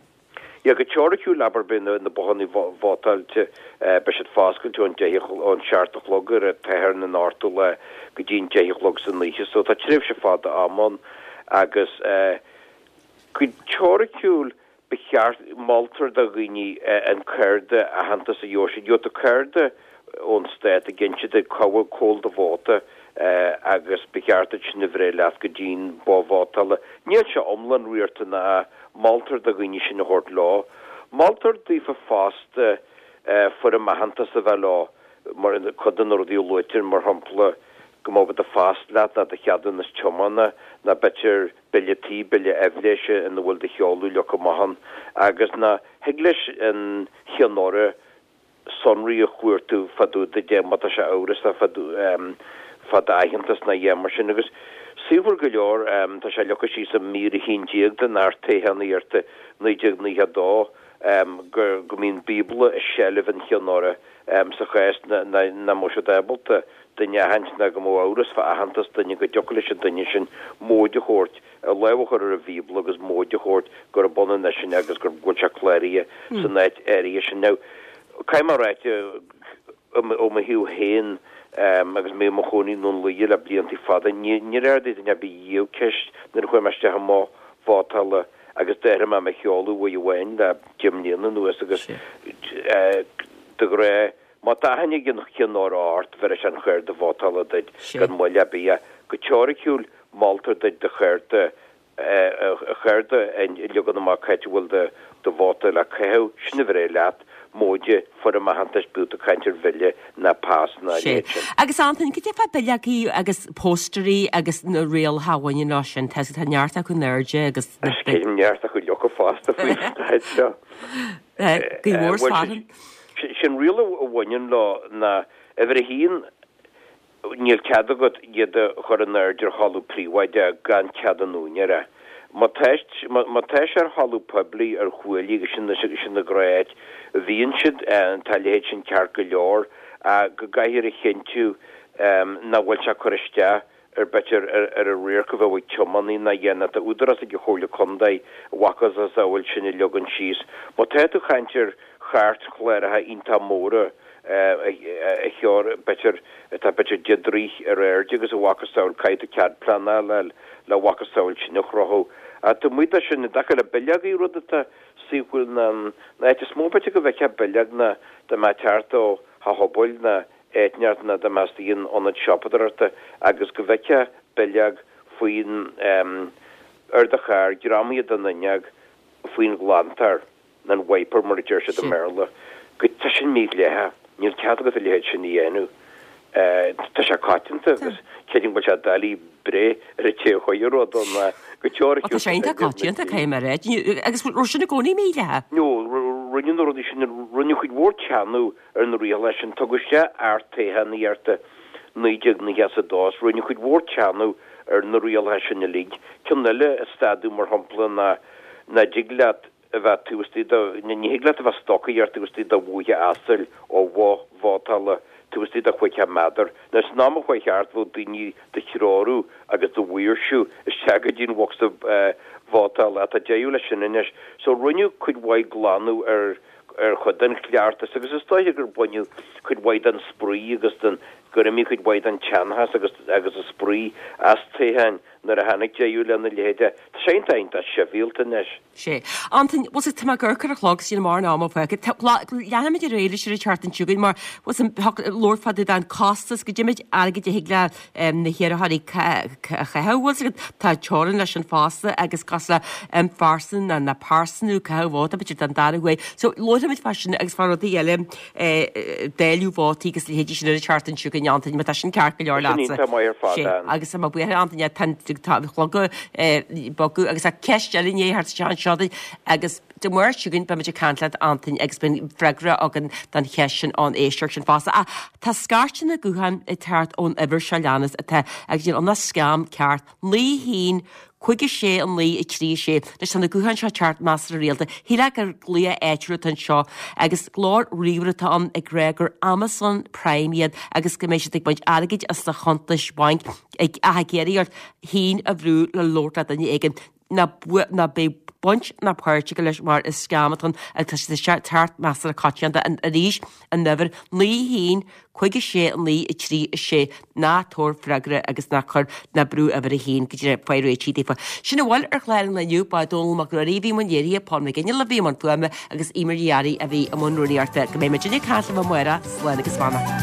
Yeah, go teoiriciúil abair beidh na bothanna vótáilte, beidh siad foscailte ón deich ón seacht a chlog ar an Satharn an ochtú lá go dtí an deich a chlog san oíche. So tá tréimhse fada ama ann agus go teoiriciúil ba cheart, moltar do dhaoine an cárta aitheantais a gheobhaidh siad. Gheobhaidh tú cárta ón stát ag inse duit cá bhfuil, cá bhfuil do vóta agus ba cheart duit sin a bhreith leat go dtí'n both vótála. Níl sé iomlán riachtanach, moltar do dhaoine sin a thabhairt leo. Moltar daofa fosta foirm aitheantais a bheith leo, mar cuid de na rudaí a luaitear, mar shampla, go mbeadh do phas leat nó do cheadúnas tiomána nó b'fhéidir bille tí, bille aibhléise ina bhfuil do sheoladh leagtha amach ann agus nó thig leis an Cheann Urra sonraí a chuartú fá dtaobh duit de má tá sé amhrasach fá fá d'aitheantas nó a dhath mar sin agus saothar go leor tá sé leagtha síos i mír a haon déag den Acht Toghchánaíochta naoi déag naocha a dó go go mbíonn Bíobla i seilbh an Chinn Urra sa chás nach mbeadh siad ábalta duine a aithint ná go mbeadh amhras fá aitheantas duine go dtiocfadh leis an duine sin móid a thabhairt, a lámh a chur ar an Bhíobla agus móid a thabhairt gurb ionann eisean agus go bhfuil sé cláraithe san áit áirithe sin. Now, caithfidh mé a ráit, ó mo thaobh féin, agus mé i mo chónaí i nDún Laoghaire le blianta fada, níor ardaigh duine ar bith riamh ceist nuair a chuaigh mé isteach i mboth vótála agus d'athraigh mé mo sheoladh uair amháin le deich mbliana anuas agus de ghnáth, má tá aithne ag an Cheann Urra ort, bhéarfaidh sé an chárta vótála duit gan mhoill ar bith. Go teoiriciúil, moltar duit do chárta a cheirde an leagan amach cá háit a bhfuil do vóta le caitheamh, sin a bhreith leat, móide foirm aitheantais bíodh tú ag caint ar bhille ná pas ná a leithéid sin. Agus Antain, cad é fá bileogaí agus póstairí agus na rialacha a bhaineann leo sin? Tá tá neart acu in airde agus na Is céim neart acu leoga fosta faoin staid seo. Gaoth mhór 's fearthainn. Sin riail a bhaineann leo ná uimhir a haon, Níl cead agat iad a chur in airde ar thalamh príobháideach gan cead an úinéara. Má tá má tá sé ar thalamh poiblí, ar chuaillí agus sin sin an ghnáth-áit a bhíonn siad, tá a leithéid sin ceart go leor, ach go gcaithfear a chinntiú nach bhfuil sé ag cur isteach ar b'fhéidir ar ar an radharc a bheadh ag tiománaí ná a dhéanamh. Tá údarás ag an Chomhairle Contae a mhacasamhail sin a leagan síos. Má tá tú ag caint ar chairtchláracha iontach móra, a cheor, b'fhéidir, atá b'fhéidir deich dtroigh ar airde agus a mhacasamhail, caithfidh tú cead pleanála a fháil le a mhacasamhail sin a chruthú. Ach taobh amuigh de sin, i dtaca le bileogaí, rud atá saoithiúil ná an áit is mó b'fhéidir go bhfeicfeá bileog ná dá mbeifeá ag teacht ó theach pobail ná áit inteacht ná dá mbeifeá istigh in ionad siopadóireachta agus go bhfeicfeá bileog faoin ar do charr, greamaithe den fhuinneog, faoin ghlantóir. an wiper mar a deir siad i mBéarla, go tá sin mídhleathach, níl cead agat a leithéid sin a dhéanamh. Tá sé coitianta agus creidim go bhfuil sé doiligh breith ar an té a chuir an rud ann ná go teoiriciúil. Tá sé iontach coitianta, caithfidh mé a rá. Agus raibh sin i gcónaí mídhleathach? No, rinneadh na rudaí sin, rinneadh cuid mhór teannadh ar na rialacha sin, tugadh isteach Acht Toghchánaíochta naoi déag nócha is a dó is rinneadh cuid mhór teannadh ar na rialacha sin uilig. Ceann eile a stadadh mar shampla ná nach dtig leat a bheith taobh istigh de, ní thig leat a bheith ag stocaireacht taobh istigh de bhúithe asail ó bhoth vótála taobh istigh de chúig chéad méadar. Now san am a chuaigh thart bheadh daoine do threorú agus do mhaoirsiú isteach go dtí an bhocsa vótála ach tá deireadh leis sin anois. So rinneadh cuid mhaith glanadh ar ar chuid den chleachtas agus is dóiche gur baineadh cuid mhaith den spraoi agus den gur imigh cuid mhaith den teannas agus agus an spraoi as toghcháin nuair a tháinig deireadh lena leithéid. Tá sé iontach iontach sibhialta anois. Sé. Antain, bhfuil 's agat, tá mé ag amharc ar an chlog is níl mórán ama fágtha. Tá, leanfaimid ar aghaidh leis ar an tseachtain seo chugainn mar, bhfuil 's agat, labhairt fá dtaobh den costas, goidé méid airgid a thig le na hiarrthóirí a chaitheamh, bhfuil 's agat, tá teorainn leis sin fosta agus cosúil le phearsan ná na pearsanú caitheamh vóta, b'fhéidir don dara huair. So, labharfaimid fá sin agus fá rudaí eile, dáileadh vótaí agus leithéidí sin ar an tseachtain seo chugainn, Antain, má tá sin ceart go leor Sin leatsa. iontach maith ar fad, Sé, Ann. agus tá mé buíoch, Antain, tá an tá an clog ag bogadh agus tá ceist eile i ndiaidh theacht isteach anseo duit agus Dé Máirt seo chugainn beimid ag caint leat, Antain, agus beidh freagra againn don cheist sin ón éisteoir sin fosta. Ach tá scairteanna gutháin ag teacht ón uimhir seo leanas atá agus níl ann ach scam ceart, naoi haon, cúig a sé, a naoi, a trí, a sé. Anois tá na gutháin seo ag teacht measartha rialta. Shílfeá gur glaoch áitiúil atá anseo agus glór ríomhaire atá ann ag rá gur Amazon Prime iad agus go mbeidh siad ag baint airgid as do chuntais bhainc ag ach ag iarraidh ort haon a bhrú le labhairt le duine éigin. Ná ná beidh baint ná páirt agat leis mar is scam atá ann agus tá sé ag teacht measartha coitianta arís an uimhir naoi haon cúig a sé a naoi a trí a sé ná tabhair freagra agus ná cuir ná brú uimhir a haon go dtí faigh réitigh daofa. Sin a bhfuil ar chlár an lae inniu ba Dónall Mac Ruairí a bhí i mbun léirithe, Paul McGinley a bhí i mbun fuaime agus Eimear Ní Fhearraigh a bhí i mbun rúnaíochta. Go mbeidh muid ag caint libh amárach, slán agus beannacht.